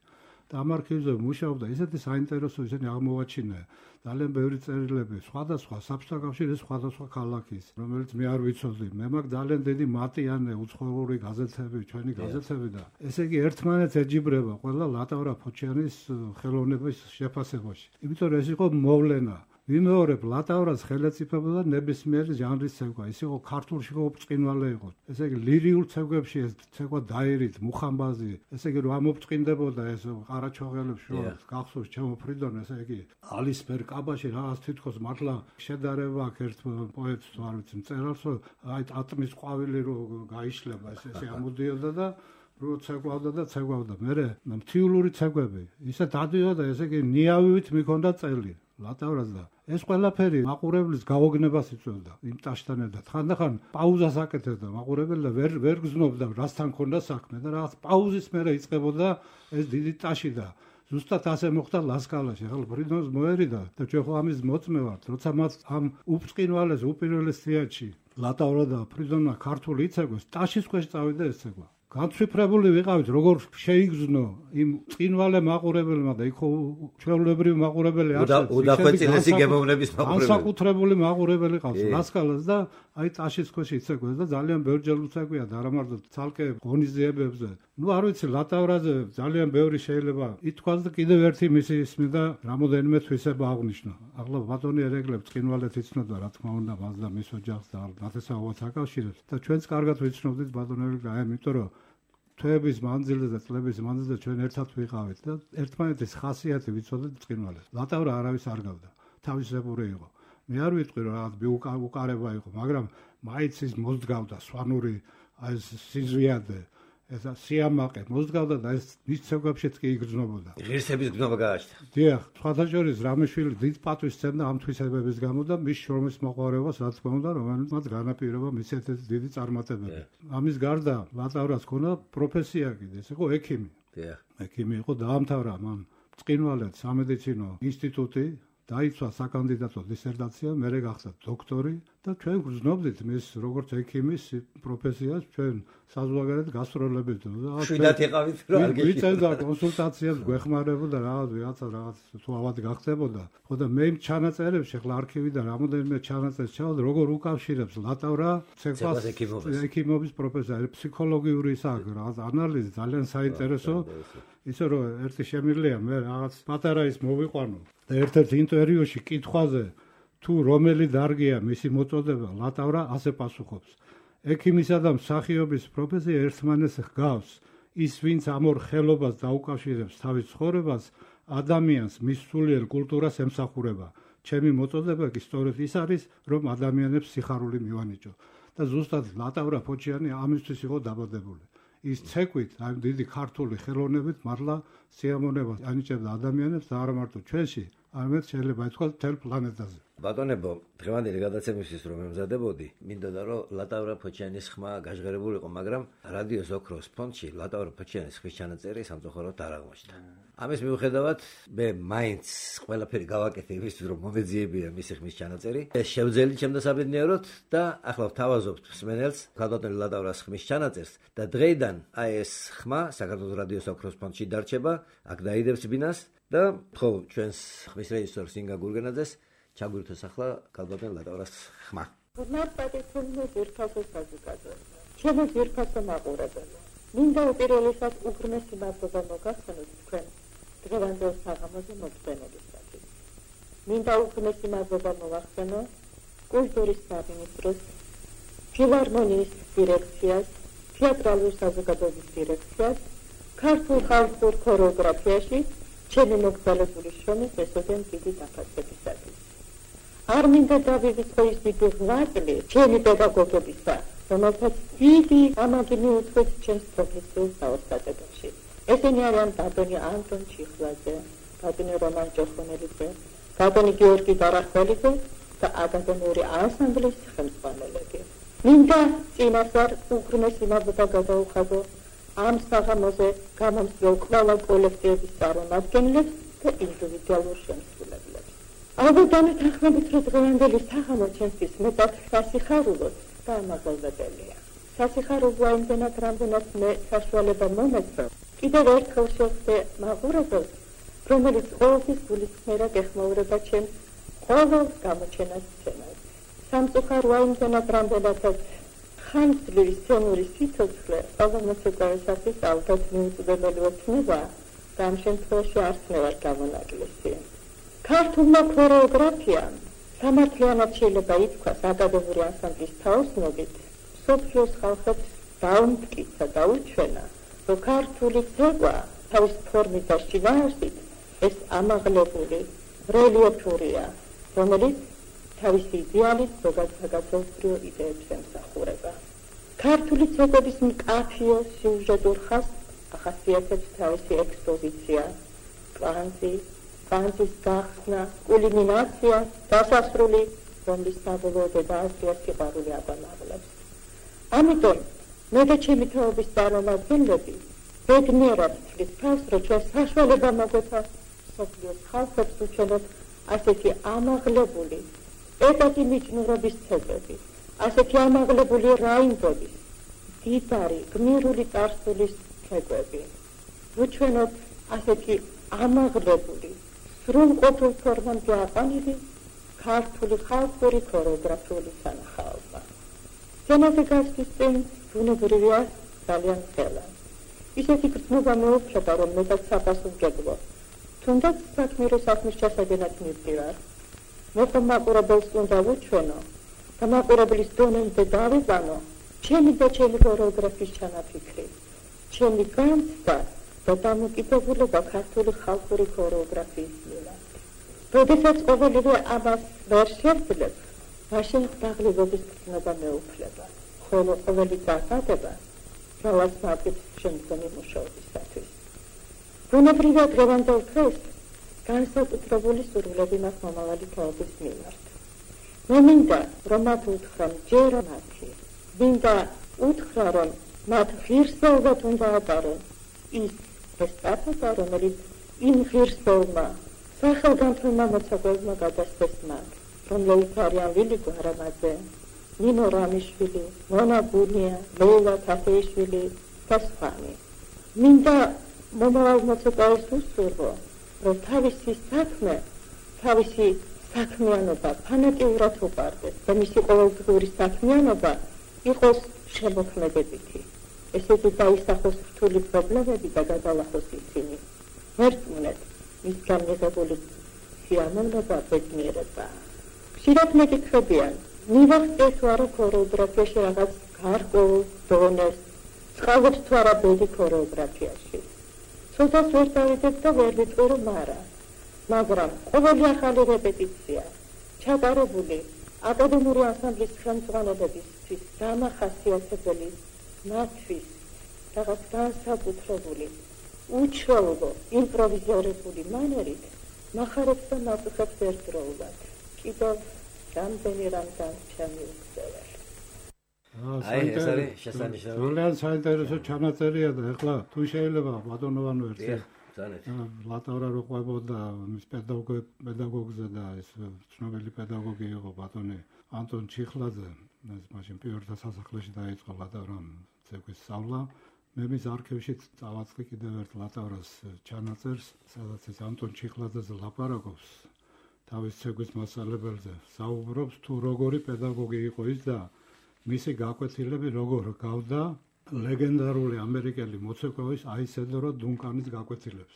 Speaker 6: და ამ არქივზე მუშაობდა ისეთი საინტერესო ისინი აღმოვაჩინა ძალიან ბევრი წერილები სხვადასხვა საბჭოთა კავშირის სხვადასხვა ქალაქის, რომელიც მე არ ვიცოდი. მე მაქვს ძალიან დიდი მატიანე უცხოური გაზეთები, ჩვენი გაზეთები და ესე იგი ერთმანეთს ეჯიბრება ყველა ლატავრა ფოჩიანის ხელოვნების შეფასებაში. იმიტომ რომ ეს იყო მოვლენა. ვიმეორებ ლატავრას ხელეწიფება და ნებისმიერი ჟანრის ცეკვა. ის იყო ქართულში ოფწყინვალე იყო. ესე იგი ლირიულ ცეკვებში ეს ცეკვა დაირით, მუხამბაზი, ესე იგი რომ ამოფწყინდებოდა ეს ყარაჩოღელებს შორის გახსოვს ჩემო ფრიდონ, ესე იგი ალისფერ კაბაში რაღაც თითქოს მართლა შედარება აქ ერთ პოეტს თუ არ ვიცი მწერალს, აი ატმის ყვავილი რო გაიშლება ესე ამოდიოდა და რო ცეკვავდა და ცეკვავდა. მერე მთიულური ცეკვები ისე დადიოდა, ესე იგი ნიავივით მიქონდა წელი ლატავრას და ეს ყველაფერი მაყურებლის გაოგნებას იწვევდა იმ ტაშთან ერთად. ხანდახან პაუზას აკეთებდა მაყურებელი და ვერ გზნობდა რასთან ქონდა საქმე და რაღაც პაუზის მერე იწყებოდა ეს დიდი ტაში და ზუსტად ასე მოხდა ლასკალაში. ახლა ფრიდონს მოერიდა და ჩვენ ხო ამის მოწმე ვართ, როცა მას ამ უბწყინვალეს უპირველეს სიაჩი ლატავრა და ფრიდონმა ქართული იცეკვეს, ტაშის ქვეშ წავიდა ეს ცეკვა. განცვიფრებული ვიყავით, როგორ შეიგზნო იმ წინვალე მაყურებელმა და იქ ჩვეულებრივი მაყურებელი
Speaker 1: არსებობს. უდახვეწილესი გემოვნების მაყურებელი.
Speaker 6: განსაკუთრებული მაყურებელი ყავს ლასკალას და აი ტაშის ქვეშ იცეკვეს და ძალიან ბევრჯერ უცეკვია და არა მარტო ცალკე ღონისძიებებზე. ნუ არ ვიცი, ლატავრაზე ძალიან ბევრი შეიძლება ითქვას და კიდევ ერთი მისი ისმი და რამოდენიმე თვისება აღნიშნო. ახლა ბატონი ერეკლებს წინვალეთ იცნობდა, რა თქმა უნდა, მას და მის ოჯახს და ნათესაობას აკავშირებს და ჩვენც კარგად ვიცნობდით ბატონ ერეკლე, იმიტომ რომ თვეების მანძილზე და წლების მანძილზე ჩვენ ერთად ვიყავით და ერთმანეთის ხასიათი ვიცოდეთ წინვალეს. ლატავრა არავის არ გავდა, თავისებური იყო. მე არ ვიტყვი რომ რაღაც უკარება იყო, მაგრამ მაინც ის მოსდგავდა სვანური აი სიზვიადე ეს სიამაყე მოსდგავდა და ეს მის ცეკვებშიც კი იგრძნობოდა.
Speaker 1: ღირსების გზნობა გააჩნდა.
Speaker 6: დიახ, სხვათა შორის რამიშვილი დიდ პატვის სცემდა ამ თვისებების გამო და მის შრომის მოყვარებას რა თქმა უნდა, რომელმაც განაპირობა მის ერთ-ერთი დიდი წარმატებები. ამის გარდა ლატავრას ქონდა პროფესია კიდე, ეს იყო ექიმი.
Speaker 1: დიახ.
Speaker 6: ექიმი იყო, დაამთავრა მან წინვალედ სამედიცინო ინსტიტუტი, დაიცვა საკანდიდატო დისერტაცია, მერე გახდა დოქტორი და ჩვენ გვზნობდით მის როგორც ექიმის პროფესიას, ჩვენ საზღვარგარეთ გასტროლებით და
Speaker 1: შვიდათ იყავით რომ არ გეშინდა.
Speaker 6: ვიცოდა კონსულტაციას გვეხმარებოდა რაღაც თუ ავად გახდებოდა. ხო და მე იმ ჩანაწერებში ახლა არქივიდან რამოდენიმე ჩანაწერს ჩავდა, როგორ უკავშირებს ლატავრა ცეკვას ექიმობის პროფესია, ფსიქოლოგიური ისაა, რაღაც ანალიზი ძალიან საინტერესო. ისე რომ ერთი შემიძლია მე რაღაც პატარა ის მოვიყვანო და ერთ-ერთ ინტერვიუში კითხვაზე თუ რომელი დარგია მისი მოწოდება, ლატავრა ასე პასუხობს: ექიმისა და მსახიობის პროფესია ერთმანეთს ჰგავს. ის ვინც ამ ორ ხელობას დაუკავშირებს თავის ცხოვრებას, ადამიანს მის სულიერ კულტურას ემსახურება. ჩემი მოწოდება კი სწორედ ის არის, რომ ადამიანებს სიხარული მივანიჭო. და ზუსტად ლატავრა ფოჩიანი ამისთვის იყო დაბადებული. ის ცეკვით, აი დიდი ქართული ხელოვნებით მართლა სიამონებას ანიჭებდა ადამიანებს და არა მარტო ჩვენში, არამედ შეიძლება ითქვას მთელ პლანეტაზე.
Speaker 1: ბატონებო, დღევანდელი გადაცემისთვის რომ ემზადებოდი, მინდოდა რომ ლატავრა ფოჩიანის ხმა გაჟღერებული იყო, მაგრამ რადიოს ოქროს ფონდში ლატავრა ფოჩიანის ხმის ჩანაწერი სამწუხაროდ არ აღმოჩნდა. ამის მიუხედავად, მე მაინც ყველაფერი გავაკეთე იმისთვის, რომ მომეძიებია მისი ხმის ჩანაწერი. ეს შევძელი ჩემ დასაბედნიეროდ და ახლა ვთავაზობთ მსმენელს ბატონი ლატავრას ხმის ჩანაწერს და დღეიდან აი ეს ხმა საქართველოს რადიოს ოქროს ფონდში დარჩება, აქ დაიდებს ბინას და ხო ჩვენს ხმის რეჟისორს ინგა გურგენაძეს ჩაგვირთოს ახლა კალბატონ ლატავრას ხმა.
Speaker 5: მართლაც ერთასო საზოგადოება. ჩემი ერთასო მაყურებელი. მინდა უპირველესად უღრმესი მადლობა მოგახსენოთ თქვენ დღევანდელ საღამოზე მოწვენებისათვის. მინდა უღრმესი მადლობა მოვახსენო კულტურის სამინისტროს, ფილარმონიის დირექციას, თეატრალური საზოგადოების დირექციას, ქართულ ხალხურ ქორეოგრაფიაში ჩემი მოგზაურობის შრომის ესოდენ დიდი დაფასებისათვის. არ მინდა დავივიწყო ის დიდი ღვაწლი ჩემი პედაგოგებისა, რომელთაც დიდი ამაგი მიუძღვის ჩემს პროფესიულ საოსტატობაში. ესენი არიან ბატონი ანტონ ჩიხლაძე, ბატონი რომან ჭოხონელიძე, ბატონი გიორგი დარახველიძე და აკადემიური ანსამბლის ხელმძღვანელები. მინდა წინასწარ უღრმესი მადლობა გადაუხადო ამ საღამოზე გამომცდელ ყველა კოლექტივების წარმომადგენლებს და ინდივიდუალურ შემსრულებლებს. ალბათ დამეთანხმებით, რომ დღევანდელი საღამო ჩემთვის მეტად სასიხარულოდ და ამაღლდებელია. სასიხარულოა იმდენად, რამდენად მე საშუალება მომეცნო კიდევ ერთხელ შევხვდე მაყურებელს, რომელიც ყოველთვის გულისხმერად ეხმაურება ჩემს ყოველ გამოჩენას სცენას. სამწუხაროა იმდენად, რამდენადაც ხანგრძლივი სცენური სიცოცხლე ყოველ მოსწავლეისათვის ალბათ მიუწვდომელი ოცნება და ამ შემთხვევაში არც მე ვარ გამონაკლისი. ქართულმა ქორეოგრაფიამ სამართლიანად შეიძლება ითქვას აკადემიური ანსამბლის თაოსნობით მსოფლიოს ხალხებს დაუმტკიცა და უჩვენა, რომ ქართული ცეკვა თავის ფორმით და შინაარსით ეს ამაღლებული რელიეფურია, რომელიც თავისი იდეალით ზოგადსაკაცობრიო იდეებს ემსახურება. ქართული ცეკვების მკაფიო სიუჟეტურ ხაზს ახასიათებს თავისი ექსპოზიცია, კვანძის გახსნა, კულმინაცია, დასასრული, რომლის საბოლოო დედააზრია სიყვარული აბანაღლებს. ამიტომ მე და ჩემი თაობის წარმომადგენლები ბედნიერად ვთვლის თავს, რომ ჩვენ საშუალება მოგვეცა მსოფლიოს ხალხებს უჩვენოთ ასეთი ამაღლებული ეტაკი მიჯნურობის ცეკვები, ასეთი ამაღლებული რაინდობის, დიდარი, გმირული წარსულის ცეკვები. ვუჩვენოთ ასეთი ამაღლებული, სრულყოფილ ფორმამდე აყვანილი ქართული ხალხური ქორეოგრაფიული სანახაობა. სცენაზე გასვლის წინ ბუნებრივია ძალიან ხელა. ისეთი გრძნობა მეუფლება, რომ მეტად საპასუხებლო. თუნდაც საქმირო საქმის ჩასაგენად მივდივარ. მე ხომ მაყურებელს უნდა ვუჩვენო და მაყურებლის დონემდე დავიყვანო ჩემი და ჩემი ქორეოგრაფიის ჩანაფიქრი, ჩემი განცდა და დამოკიდებულება ქართული ხალხური ქორეოგრაფიის მიმართ. როდესაც ყოველივე ამას ვერ შევძლებ, მაშინ დაღლილობის გრძნობა მეუფლება, ხოლო ყოველი დახადება ძალას მატებს შემდგომი მუშაობისათვის. ბუნებრივია დღევანდელ დღეს განსაკუთრებული სურვილები მაქვს მომავალი თაობის მიმართ. მე მინდა, რომ მათ უთხრა მჯერა მათი, მინდა უთხრა, რომ მათ ღირსეულად უნდა ატარონ ის ესტაფეტა, რომელიც იმ ღირსეულმა სახელგანთლმა მოცეკვებმა გადასცეს მათ, რომლებიც არიან ლილი გვარამაძე, ნინო რამიშვილი, მონა გუნია, ლეილა თათეიშვილი და სხვანი. მინდა მომავალ მოცეკვაეს უსურვო, რომ თავისი საქმე, თავისი საქმიანობა ფანატიურად უყარდეს და მისი ყოველდღიური საქმიანობა იყოს შემოქმედებითი. ესეთი დაისახოს რთული პრობლემები და გადალახოს ისინი. მერწმუნეთ, მისგან მიღებული სიამოვნება ბედნიერება. ხშირად მეკითხებიან, მივახცეთ თუ არა ქორეოგრაფიაში რაღაც გარკვეულ დონეს, წყალობს თუ არა ბედი ქორეოგრაფიაში. ცოტას ვერ დავიდებ და ვერ ვიტყვი, რომ არა. მაგრამ ყოველი ახალი რეპეტიცია, ჩატარებული აკადემიური ანსამბლის ხელმძღვანელებისთვის დამახასიათებელი, მათთვის რაღაც განსაკუთრებული, უჩვეულო, იმპროვიზირებული მანერით მახარებს და მაწუხებს ერთდროულად. კიდევ რამდენი რამ ჩამიუქცეველ.
Speaker 1: ეს არის შესანიშნავი.
Speaker 6: ძალიან საინტერესო ჩანაწერია და ეხლა თუ შეიძლება ბატონოვანო ერთი ლატავრა რო ყვებოდა მის პედაგოგზე და ეს ცნობილი პედაგოგი იყო ბატონი ანტონ ჩიხლაძე, ეს მაშინ პირველთა სასახლეში დაიწყო ლატავრამ ცეკვის სწავლა. მე მის არქივში წავაწყდი კიდევ ერთ ლატავრას ჩანაწერს, სადაც ეს ანტონ ჩიხლაძეზე ლაპარაკობს თავის ცეკვის მასწავლებელზე, საუბრობს თუ როგორი პედაგოგი იყო ის და მისი გაკვეთილები როგორ გავდა ლეგენდარული ამერიკელი მოცეკვავის აისედორო დუნკანის გაკვეთილებს.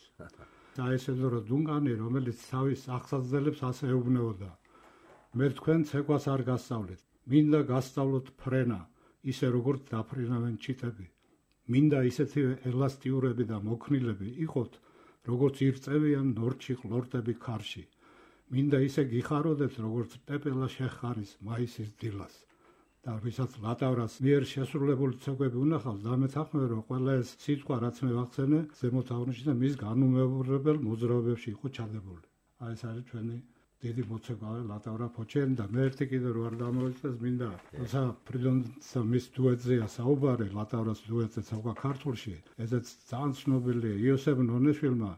Speaker 6: აისედორო დუნკანი, რომელიც თავის აღსაძლებელს ასე ეუბნებოდა: მე თქვენ ცეკვას არ გასწავლეთ, მინდა გასწავლოთ ფრენა, ისე როგორც დაფრინავენ ჩიტები. მინდა ისეთივე ელასტიურები და მოქნილები იყოთ, როგორც ირწევიან ნორჩი ყლორტები ქარში. მინდა ისე გიხაროდეთ, როგორც პეპელა შეხარის მაისის დილას. და ვისაც ლატავრას მიერ შესრულებული ცეკვები უნახავს, დამეთანხმება, რომ ყველა ეს სიტყვა, რაც მე ვახსენე, ზემოთ აღნიშნე მის განუმეორებელ მოძრაობებში იყო ჩადებული. ეს არის ჩვენი დიდი მოცეკვავე ლატავრა ფოჩენი და მე ერთი კიდევ რო არ დამოვიწყდეს, მინდა როცა ფრიდონსა მის დუეტზეა საუბარი, ლატავრას დუეტზე ცეკვა ქართულში, ესეც ძალიან ცნობილია იოსებ ნონეშვილმა,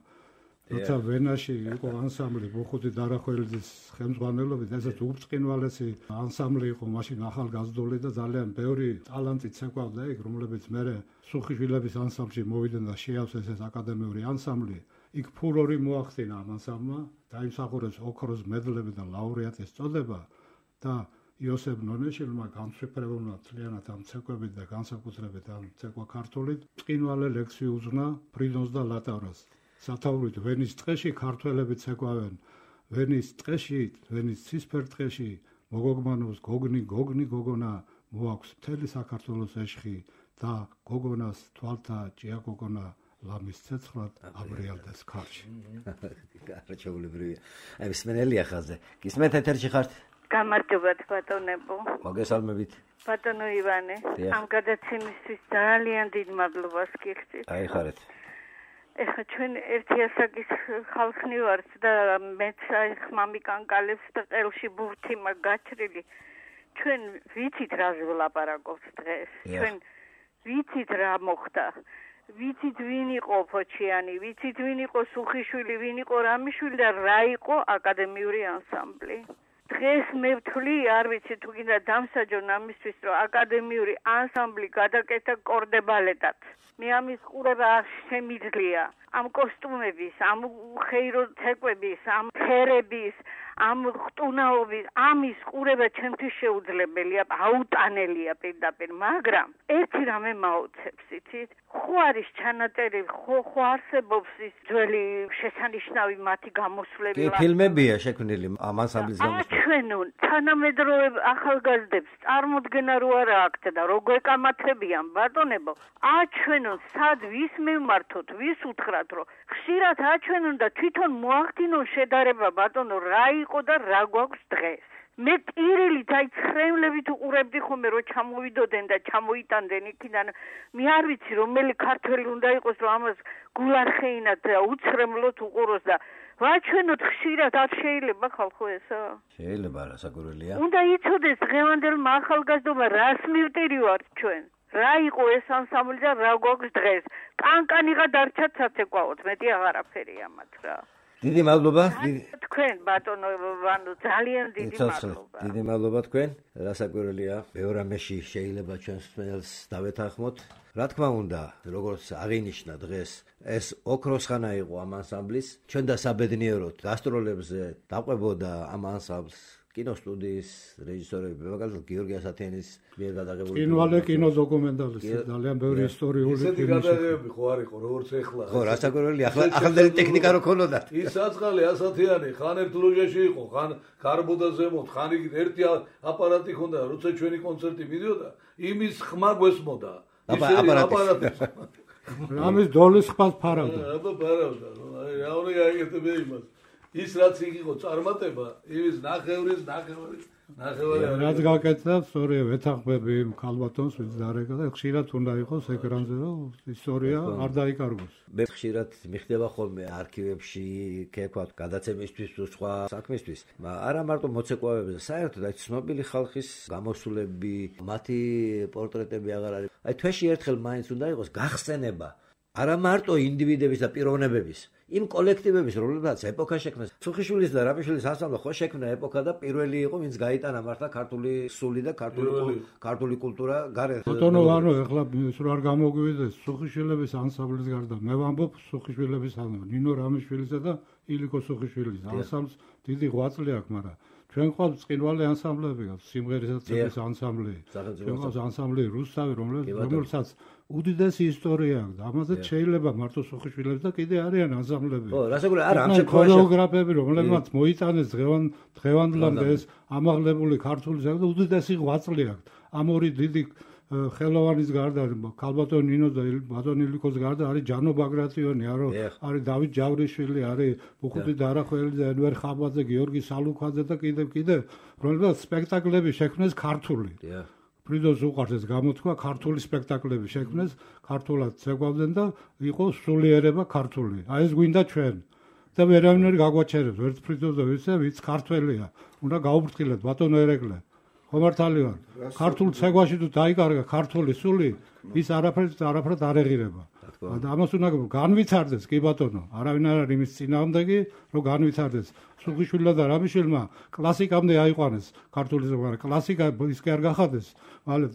Speaker 6: როცა ვენაში იყო ანსამბლი ბოხუთი დარახველიძის ხელმძღვანელობით, ესეც უბწყინვალესი ანსამბლი იყო მაშინ ახალგაზრდული და ძალიან ბევრი ტალანტი ცეკვავდა იქ, რომლებიც მერე სუხიშვილების ანსამბლში მოვიდნენ და შეავსეს ეს აკადემიური ანსამბლი. იქ ფურორი მოახდინა ამ ანსამბლმა, დაიმსახურეს ოქროს მედლები და ლაურეატის წოდება და იოსებ ნონეშვილმა განსვიფრებულმა თლიანად ამ ცეკვებით და განსაკუთრებით ამ ცეკვა ქართულით ბრწყინვალე ლექსი უძღვნა ფრიდონს და ლატავრას. სათაურით ვენის ტყეში ქართველები ცეკვავენ ვენის ტყეში, ვენის ცისფერ ტყეში მოგოგმანოს გოგნი გოგონა მოაქვს მთელი საქართველოს ეშხი და გოგონას თვალთა ჭია გოგონა ლამის ცეცხლად აბრიალდეს ქარში.
Speaker 1: გარჩეულებრივია. აი მსმენელია ხაზე. გისმენთ ეთერში ხართ?
Speaker 7: გამარჯობათ ბატონებო.
Speaker 1: მოგესალმებით.
Speaker 7: ბატონო ივანე, ამ გადაცემისთვის ძალიან დიდ მადლობას გიხდით.
Speaker 1: აი ხარეთ.
Speaker 7: ეხლა ჩვენ ერთი ასაკის ხალხი ვართ და მეც აი ხმამიკანკალებს და ყელში ბურთი მაგ გაჩრილი. ჩვენ ვიცით რა ვლაპარაკობთ დღეს. ჩვენ ვიცით რა მოხდა. ვიცით ვინ იყო ფოჩიანი, ვიცით ვინ იყო სუხიშვილი, ვინ იყო რამიშვილი და რა იყო აკადემიური ანსამბლი. დღეს მე ვთვლი, არ ვიცი თუ კიდე დამსაჯონ ამისთვის, რომ აკადემიური ანსამბლი გადაკეთა კორდებალეტად. მე ამის ყურება არ შემიძლია. ამ კოსტუმების, ამ ხეირო ცეკვების, ამ ფერების, ამ ხტუნაობის, ამის ყურება ჩემთვის შეუძლებელია, აუტანელია პირდაპირ, მაგრამ ერთი რამე მაოცებს, იცით? ხო არის ჩანაწერი, ხო არსებობს ის ძველი შესანიშნავი მათი გამოსვლები.
Speaker 1: კი, ფილმებია შექმნილი ამ ანსამბლის გამოსვლები.
Speaker 7: აჩვენონ თანამედროვე ახალგაზრდებს წარმოდგენა რო არა აქვთ და როგორ ეკამათებიან ბატონებო, აჩვენონ სად ვის მივმართოთ, ვის უთხრათ, რომ ხშირად აჩვენონ და თვითონ მოახდინონ შედარება ბატონო რა იყო და რა გვაქვს დღეს. მე პირილით აი ხრემლებით უყურებდი ხოლმე რომ ჩამოვიდოდნენ და ჩამოიტანდნენ იქიდან. მე არ ვიცი რომელი ქართველი უნდა იყოს რომ ამას გულარხეინად და უცრემლოთ უყუროს და ვაჩვენოთ ხშირად არ შეიძლება ხალხო ესა?
Speaker 1: შეიძლება რა საკურველია.
Speaker 7: უნდა იცოდეს დღევანდელმა ახალგაზრდობა რას მივტირი ვართ ჩვენ. რა იყო ეს ანსამბლი და რა გვაქვს დღეს. კანკანიღა დარჩათ საცეკვაოდ, მეტი აღარაფერია მათ რა.
Speaker 1: დიდი მადლობა.
Speaker 7: თქვენ ბატონო ვანო ძალიან დიდი მადლობა.
Speaker 1: დიდი მადლობა თქვენ. რასაკვირველია, ბევრ რამეში შეიძლება ჩვენს მსმენელს დავეთანხმოთ. რა თქმა უნდა, როგორც აღინიშნა დღეს, ეს ოქროს ხანა იყო ამ ანსამბლის. ჩვენ და საბედნიეროდ გასტროლებზე დაყვებოდა ამ ანსამბლს კინოსტუდიის რეჟისორები, მაგალითად გიორგი ასათიანის მიერ გადაღებული
Speaker 6: კინოალე კინოდოკუმენტალისტი, ძალიან ბევრი ისტორიული
Speaker 4: ისეთი გადაღებები ხო არ იყო, როგორც ეხლა.
Speaker 1: ხო, რასაკვირველია, ახალდელი ტექნიკა რო ქონოდა.
Speaker 4: ის საწყალი ასათიანი, ხან ერთ ლოჟაში იყო, ხან გარბოდა ზემოთ, ხან იქ ერთი აპარატი ჰქონდა, როცა ჩვენი კონცერტი მიდიოდა, იმის ხმა გვესმოდა.
Speaker 1: აპარატი.
Speaker 6: რამის დოლის ხმას ფარავდა.
Speaker 4: აბა ფარავდა, აი რა უნდა გაიგეთებია იმას. ის რაც იყო წარმატება, იმის ნახევრის.
Speaker 6: რაც გაკეთდა, სწორია, ვეთანხმები ქალბატონს ვინც დარეკა და ხშირად უნდა იყოს ეკრანზე, რომ ისტორია არ დაიკარგოს.
Speaker 1: მე ხშირად მიხდება ხოლმე არქივებში, ქექვათ, გადაცემისთვის თუ სხვა საქმისთვის. არა მარტო მოცეკვავებზე, საერთოდ აი ცნობილი ხალხის გამოსვლები, მათი პორტრეტები აღარ არის. აი თვეში ერთხელ მაინც უნდა იყოს გახსენება. არა მარტო ინდივიდების და პიროვნებების, იმ კოლექტივების, რომლებსაც ეპოქა შექმნეს. სუხიშვილის და რამიშვილის ანსამბლი ხო შექმნა ეპოქა და პირველი იყო, ვინც გაიტანა მართლა ქართული სული და ქართული კულტურა გარეთ.
Speaker 6: ბატონო ვანო, ეხლა ის რა არ გამოგვიდეს სუხიშვილების ანსამბლის გარდა. მე ვამბობ სუხიშვილების ანსამბლი, ნინო რამიშვილისა და ილიკო სუხიშვილის ანსამბლს დიდი ღვაწლი აქვს, მაგრამ ჩვენ ყავს წინვალე ანსამბლები, სიმღერისაცემის ანსამბლი. ჩვენ ყავს ანსამბლი რუსთავი, რომელსაც უდიდესი ისტორია აქვს. ამაზეც შეიძლება მარტო სუხიშვილებს და კიდე არიან ანსამბლები.
Speaker 1: ხო, რასაკვირველია, არა, ამ შემთხვევაში
Speaker 6: ქორეოგრაფები, რომლებმაც მოიტანეს დღევანდლამდე ეს ამაღლებული ქართული ზედა უდიდესი ღვაწლი აქვს. ამ ორი დიდი ხელოვანის გარდა, ქალბატონ ნინოს და ბატონ ილიკოს გარდა არის ჯანო ბაგრატიონი, არის დავით ჯავრიშვილი, არის ბუხუტი დარახველი და ენვერ ხაბაძე, გიორგი სალუქვაძე და კიდევ, რომლებსაც სპექტაკლები შექმნეს ქართული. ფრიდოს უყარს ეს გამოთქვა, ქართული სპექტაკლები შექმნეს, ქართულად ცეკვავდნენ და იყო სულიერება ქართული. აი ეს გვინდა ჩვენ. და ვერავინ გაგვაჩერებს, ვერც ფრიდოს და ვიც ქართველია. უნდა გაუფრთხილოთ ბატონო ერეკლე. ხომართალი ვარ. ქართულ ცეკვაში თუ დაიკარგა ქართული სული, ის არაფერს არ ეღირება. და ამას უნდა განვითარდეს კი ბატონო. არავინ არ არის იმის წინააღმდეგი, რომ განვითარდეს. სუხიშვილმა და რამიშვილმა კლასიკამდე აიყვანეს ქართული ზოგადად. კლასიკა ის კი არ გახადეს, მალე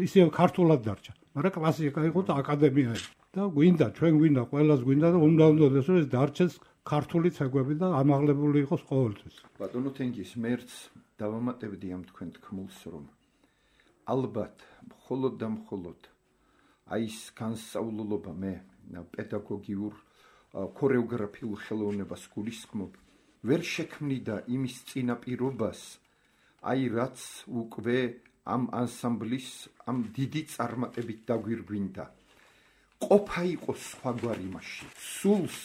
Speaker 6: ისე ქართულად დარჩა. მაგრამ კლასიკა იყო და აკადემია იყო. და გვინდა, ჩვენ გვინდა, ყველას გვინდა და უნდა რომ ეს დარჩეს ქართული ცეკვები და ამაღლებული იყოს ყოველთვის.
Speaker 3: ბატონო თენგის მერც დავამატებდი ამ თქვენ თქმულს, რომ ალბათ მხოლოდ და მხოლოდ აი ეს განსწავლულობა მე პედაგოგიურ ქორეოგრაფიულ ხელოვნებას გულისხმობ, ვერ შექმნიდა იმის წინაპირობას, აი რაც უკვე ამ ანსამბლის ამ დიდი წარმატებით დაგვირგვინდა. ყოფა იყო სხვაგვარი მაშინ. სულს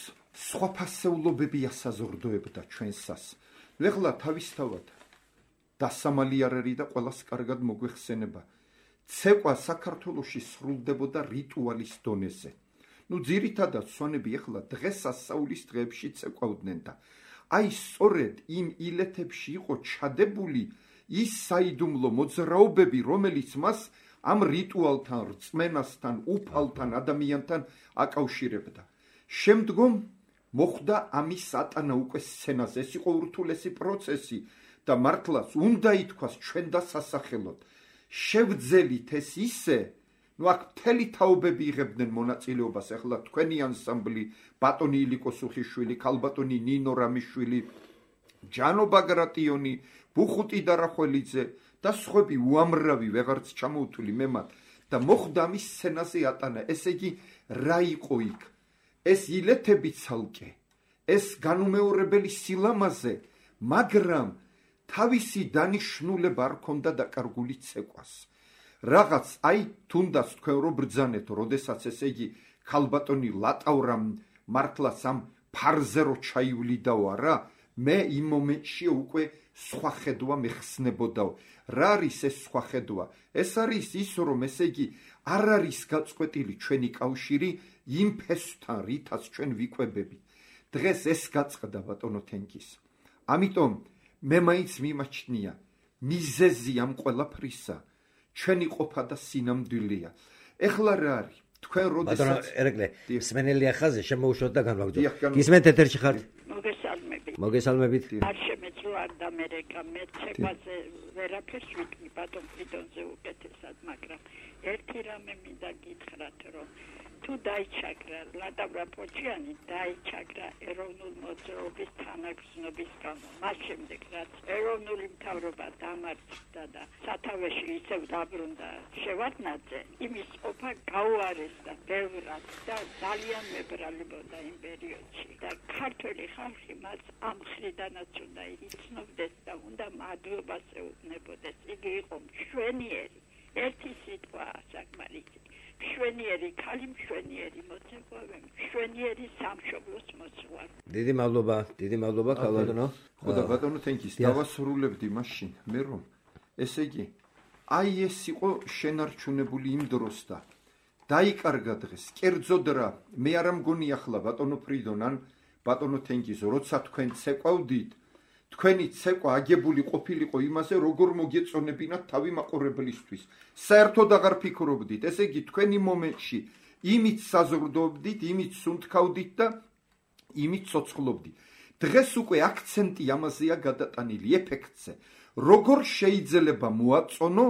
Speaker 3: სხვა ფასეულობები ასაზრდოებდა ჩვენსას. ეხლა თავისთავად დასამალი არ არის და ყველას კარგად მოგვეხსენება. ცეკვა საქართველოში სრულდებოდა რიტუალის დონეზე. ძირითადად სვანები ეხლა დღესასწაულის დღეებში ცეკვავდნენ და აი სწორედ იმ ილეთებში იყო ჩადებული ის საიდუმლო მოძრაობები, რომელიც მას ამ რიტუალთან, რწმენასთან, უფალთან, ადამიანთან აკავშირებდა. შემდგომ მოხდა ამის ატანა უკვე სცენაზე. ეს იყო ურთულესი პროცესი და მართლაც უნდა ითქვას ჩვენ დასასახელოდ. შევძელით ეს ისე, აქ მთელი თაობები იღებდნენ მონაწილეობას. ახლა თქვენი ანსამბლი, ბატონი ილიკო სუხიშვილი, ქალბატონი ნინო რამიშვილი, ჯანო ბაგრატიონი, ბუხუტი დარახველიძე და სხვები უამრავი ვეღარც ჩამოუთვლი მე მათ და მოხდა ამის სცენაზე ატანა. ესე იგი რა იყო იქ? ეს ილეთები ცალკე, ეს განუმეორებელი სილამაზე, მაგრამ თავისი დანიშნულება არ ქონდა დაკარგული ცეკვას. რაღაც აი თუნდაც თქვენ რო ბრძანეთ, როდესაც ესე იგი ქალბატონი ლატავრამ მართლაც ამ ფარზე რო ჩაივლიდაო არა, მე იმ მომენტში უკვე სხვა ხედვა მეხსნებოდაო. რა არის ეს სხვა ხედვა? ეს არის ის, რომ ესე იგი არ არის გაწყვეტილი ჩვენი კავშირი იმ ფესვთან, რითაც ჩვენ ვიკვებები. დღეს ეს გაწყდა ბატონო თენგის. ამიტომ მე მაინც მიმაჩნია მიზეზი ამ ყველაფრისა ჩვენი ყოფა და სინამდვილეა. ეხლა რა არის? თქვენ როდესაც
Speaker 1: ბატონო ერეკლე, სმენელია ხაზე შემოუშვოთ და განვაგრძოთ. გისმენთ ეთერში ხართ? მოგესალმებით.
Speaker 8: არ შემეძლო არ დამერეკა მე ცეკვაზე ვერაფერს ვიტყვი ბატონ ფრიდონზე უკეთესად, მაგრამ ერთი რამე მინდა გითხრათ, რომ თუ დაიჩაგრა ლატავრა პოჭიანი დაიჩაგრა ეროვნულ მოძრაობის თანაგრძნობის გამო. მას შემდეგ რაც ეროვნული მთავრობა დამარცხდა და სათავეში ისევ დაბრუნდა შევარდნაძე, იმის ყოფა გაუარესდა ბევრად და ძალიან მებრალებოდა იმ პერიოდში და ქართველი ხალხი მას ამ მხრიდანაც უნდა იცნობდეს და უნდა მადლობას ეუბნებოდეს. იგი იყო მშვენიერი, ერთი სიტყვა საკმარისი. მშვენიერი ქალი, მშვენიერი მოცეკვავე, მშვენიერი სამშობლოს მოძღვარი.
Speaker 1: დიდი მადლობა ქალბატონო.
Speaker 3: ხო და ბატონო თენგის დავასრულებდი მაშინ მე რომ ესე იგი აი ეს იყო შენარჩუნებული იმ დროს და დაიკარგა დღეს კერძოდ რა მე არ მგონი ახლა ბატონო ფრიდონ ან ბატონო თენგის როცა თქვენ ცეკვავდით თქვენი ცეკვა აგებული ყოფილიყო იმაზე როგორ მოგეწონებინათ თავი მაყურებლისთვის. საერთოდ აღარ ფიქრობდით. ესე იგი თქვენი მომენტში იმით საზრდოობდით, იმით სუნთქავდით და იმით ცოცხლობდით. დღეს უკვე აქცენტი ამაზეა გადატანილი ეფექტზე. როგორ შეიძლება მოაწონო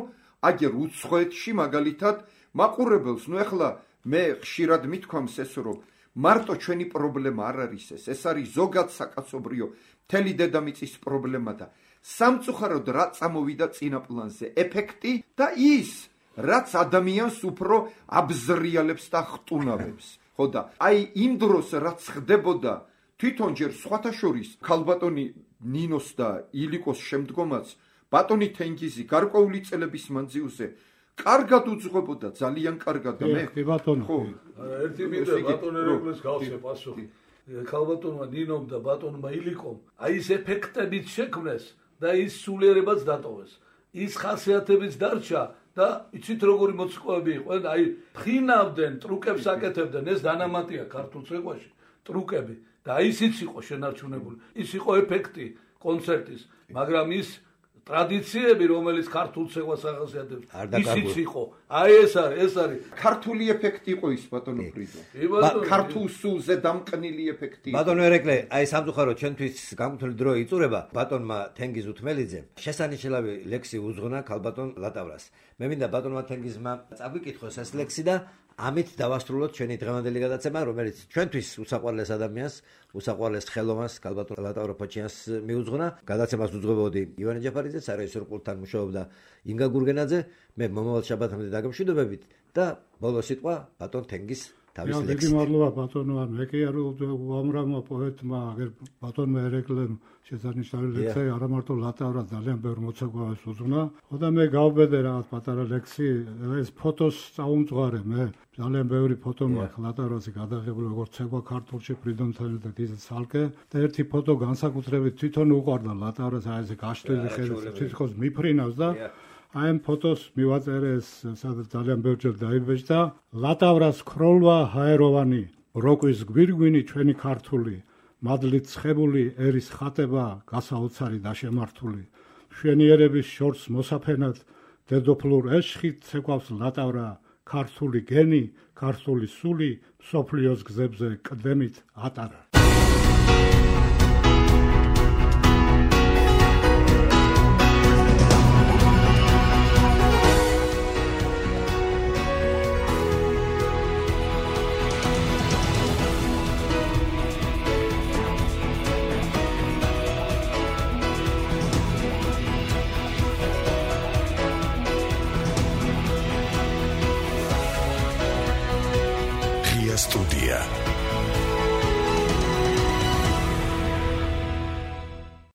Speaker 3: აგერ უცხოეთში მაგალითად მაყურებელს. ეხლა მე ხშირად მithქვამს ეს რომ მარტო ჩვენი პრობლემა არ არის ეს არის ზოგად საკაცობრიო მთელი დედამიწის პრობლემა და სამწუხაროდ რა წამოვიდა წინა პლანზე ეფექტი და ის რაც ადამიანს უფრო აბზრიალებს და ხტუნავებს. ხო და აი იმ დროს რაც ხდებოდა თვითონ ჯერ სხვათა შორის ქალბატონი ნინოს და ილიკოს შემდგომაც ბატონი თენგიზი გარკვეული წელების მანძილზე კარგად უძღვებოდა, ძალიან კარგად და მე
Speaker 6: ხო
Speaker 4: ერთი მინდა ბატონ ერეკლეს გავსე პასუხი. ქალბატონმა ნინომ და ბატონმა ილიკომ აი ეს ეფექტებიც შექმნეს და ის სულიერებაც დატოვეს. ის ხასიათებიც დარჩა და იცით როგორი მოცეკვავები იყო, აი ფხინავდნენ, ტრუკებს აკეთებდნენ, ეს დანამატია ქართულ ცეკვაში, ტრუკები და აი ისიც იყო შენარჩუნებული. ის იყო ეფექტი კონცერტის, მაგრამ ის ტრადიციები, რომელიც ქართულ ცეკვას ახასიათებს, ისიც იყო. აი ეს არის
Speaker 3: ქართული ეფექტი იყო ის ბატონო ფრიდო. ქართულ სულზე დამყნილი ეფექტი.
Speaker 1: ბატონო ერეკლე, აი სამწუხაროდ ჩვენთვის გამართული დრო იწურება. ბატონმა თენგიზ უთმელიძემ შესანიშნავი ლექსი უძღვნა ქალბატონ ლატავრას. მე მინდა ბატონმა თენგიზმა წაგვიკითხოს ეს ლექსი და ამით დავასრულოთ ჩვენი დღევანდელი გადაცემა, რომელიც ჩვენთვის უსაყვარლეს ადამიანს, უსაყვარლეს ხელოვანს, ქალბატონ ლატავრა პოჭიანს მიუძღვნა. გადაცემას უძღვებოდი ივანე ჯაფარიძე, სარაისო პულტთან მუშაობდა ინგა გურგენაძე. მე მომავალ შაბათამდე დაგემშვიდობებით და ბოლო სიტყვა ბატონ თენგის თავის
Speaker 6: ლექსით. დიდი მადლობა ბატონო, მე კი არ უამრავმა პოეტმა, აგერ ბატონმა ერეკლემ შესანიშნავი ლექსი არა მარტო ლატავრა ძალიან ბევრ მოცეკვავეს უძღვნა. ხოდა მე გავბედე რაღაც პატარა ლექსი, ეს ფოტოს წაუმძღვარე მე. ძალიან ბევრი ფოტო მაქვს ლატავრაზე გადაღებული, როგორც ცეკვა ქართულში ფრიდონთან და ისე ცალკე. და ერთი ფოტო განსაკუთრებით თვითონ უყვარდა ლატავრას, აი ესე გაშლილი ხედავს, თვითონ მიფრინავს და აი ამ ფოტოს მივაწერე ეს სადაც ძალიან ბევრჯერ დაიბეჭდა. ლატავრას ქროლვა ჰაეროვანი, როკვის გვირგვინი ჩვენი ქართული, მადლით ცხებული ერის ხატება გასაოცარი და შემართული. მშვენიერების შორს მოსაფენად დედოფლურ ეშხით ცეკვავს ლატავრა, ქართული გენი, ქართული სული, სოფლიოს გზებზე კდემით ატარა.
Speaker 9: Студия.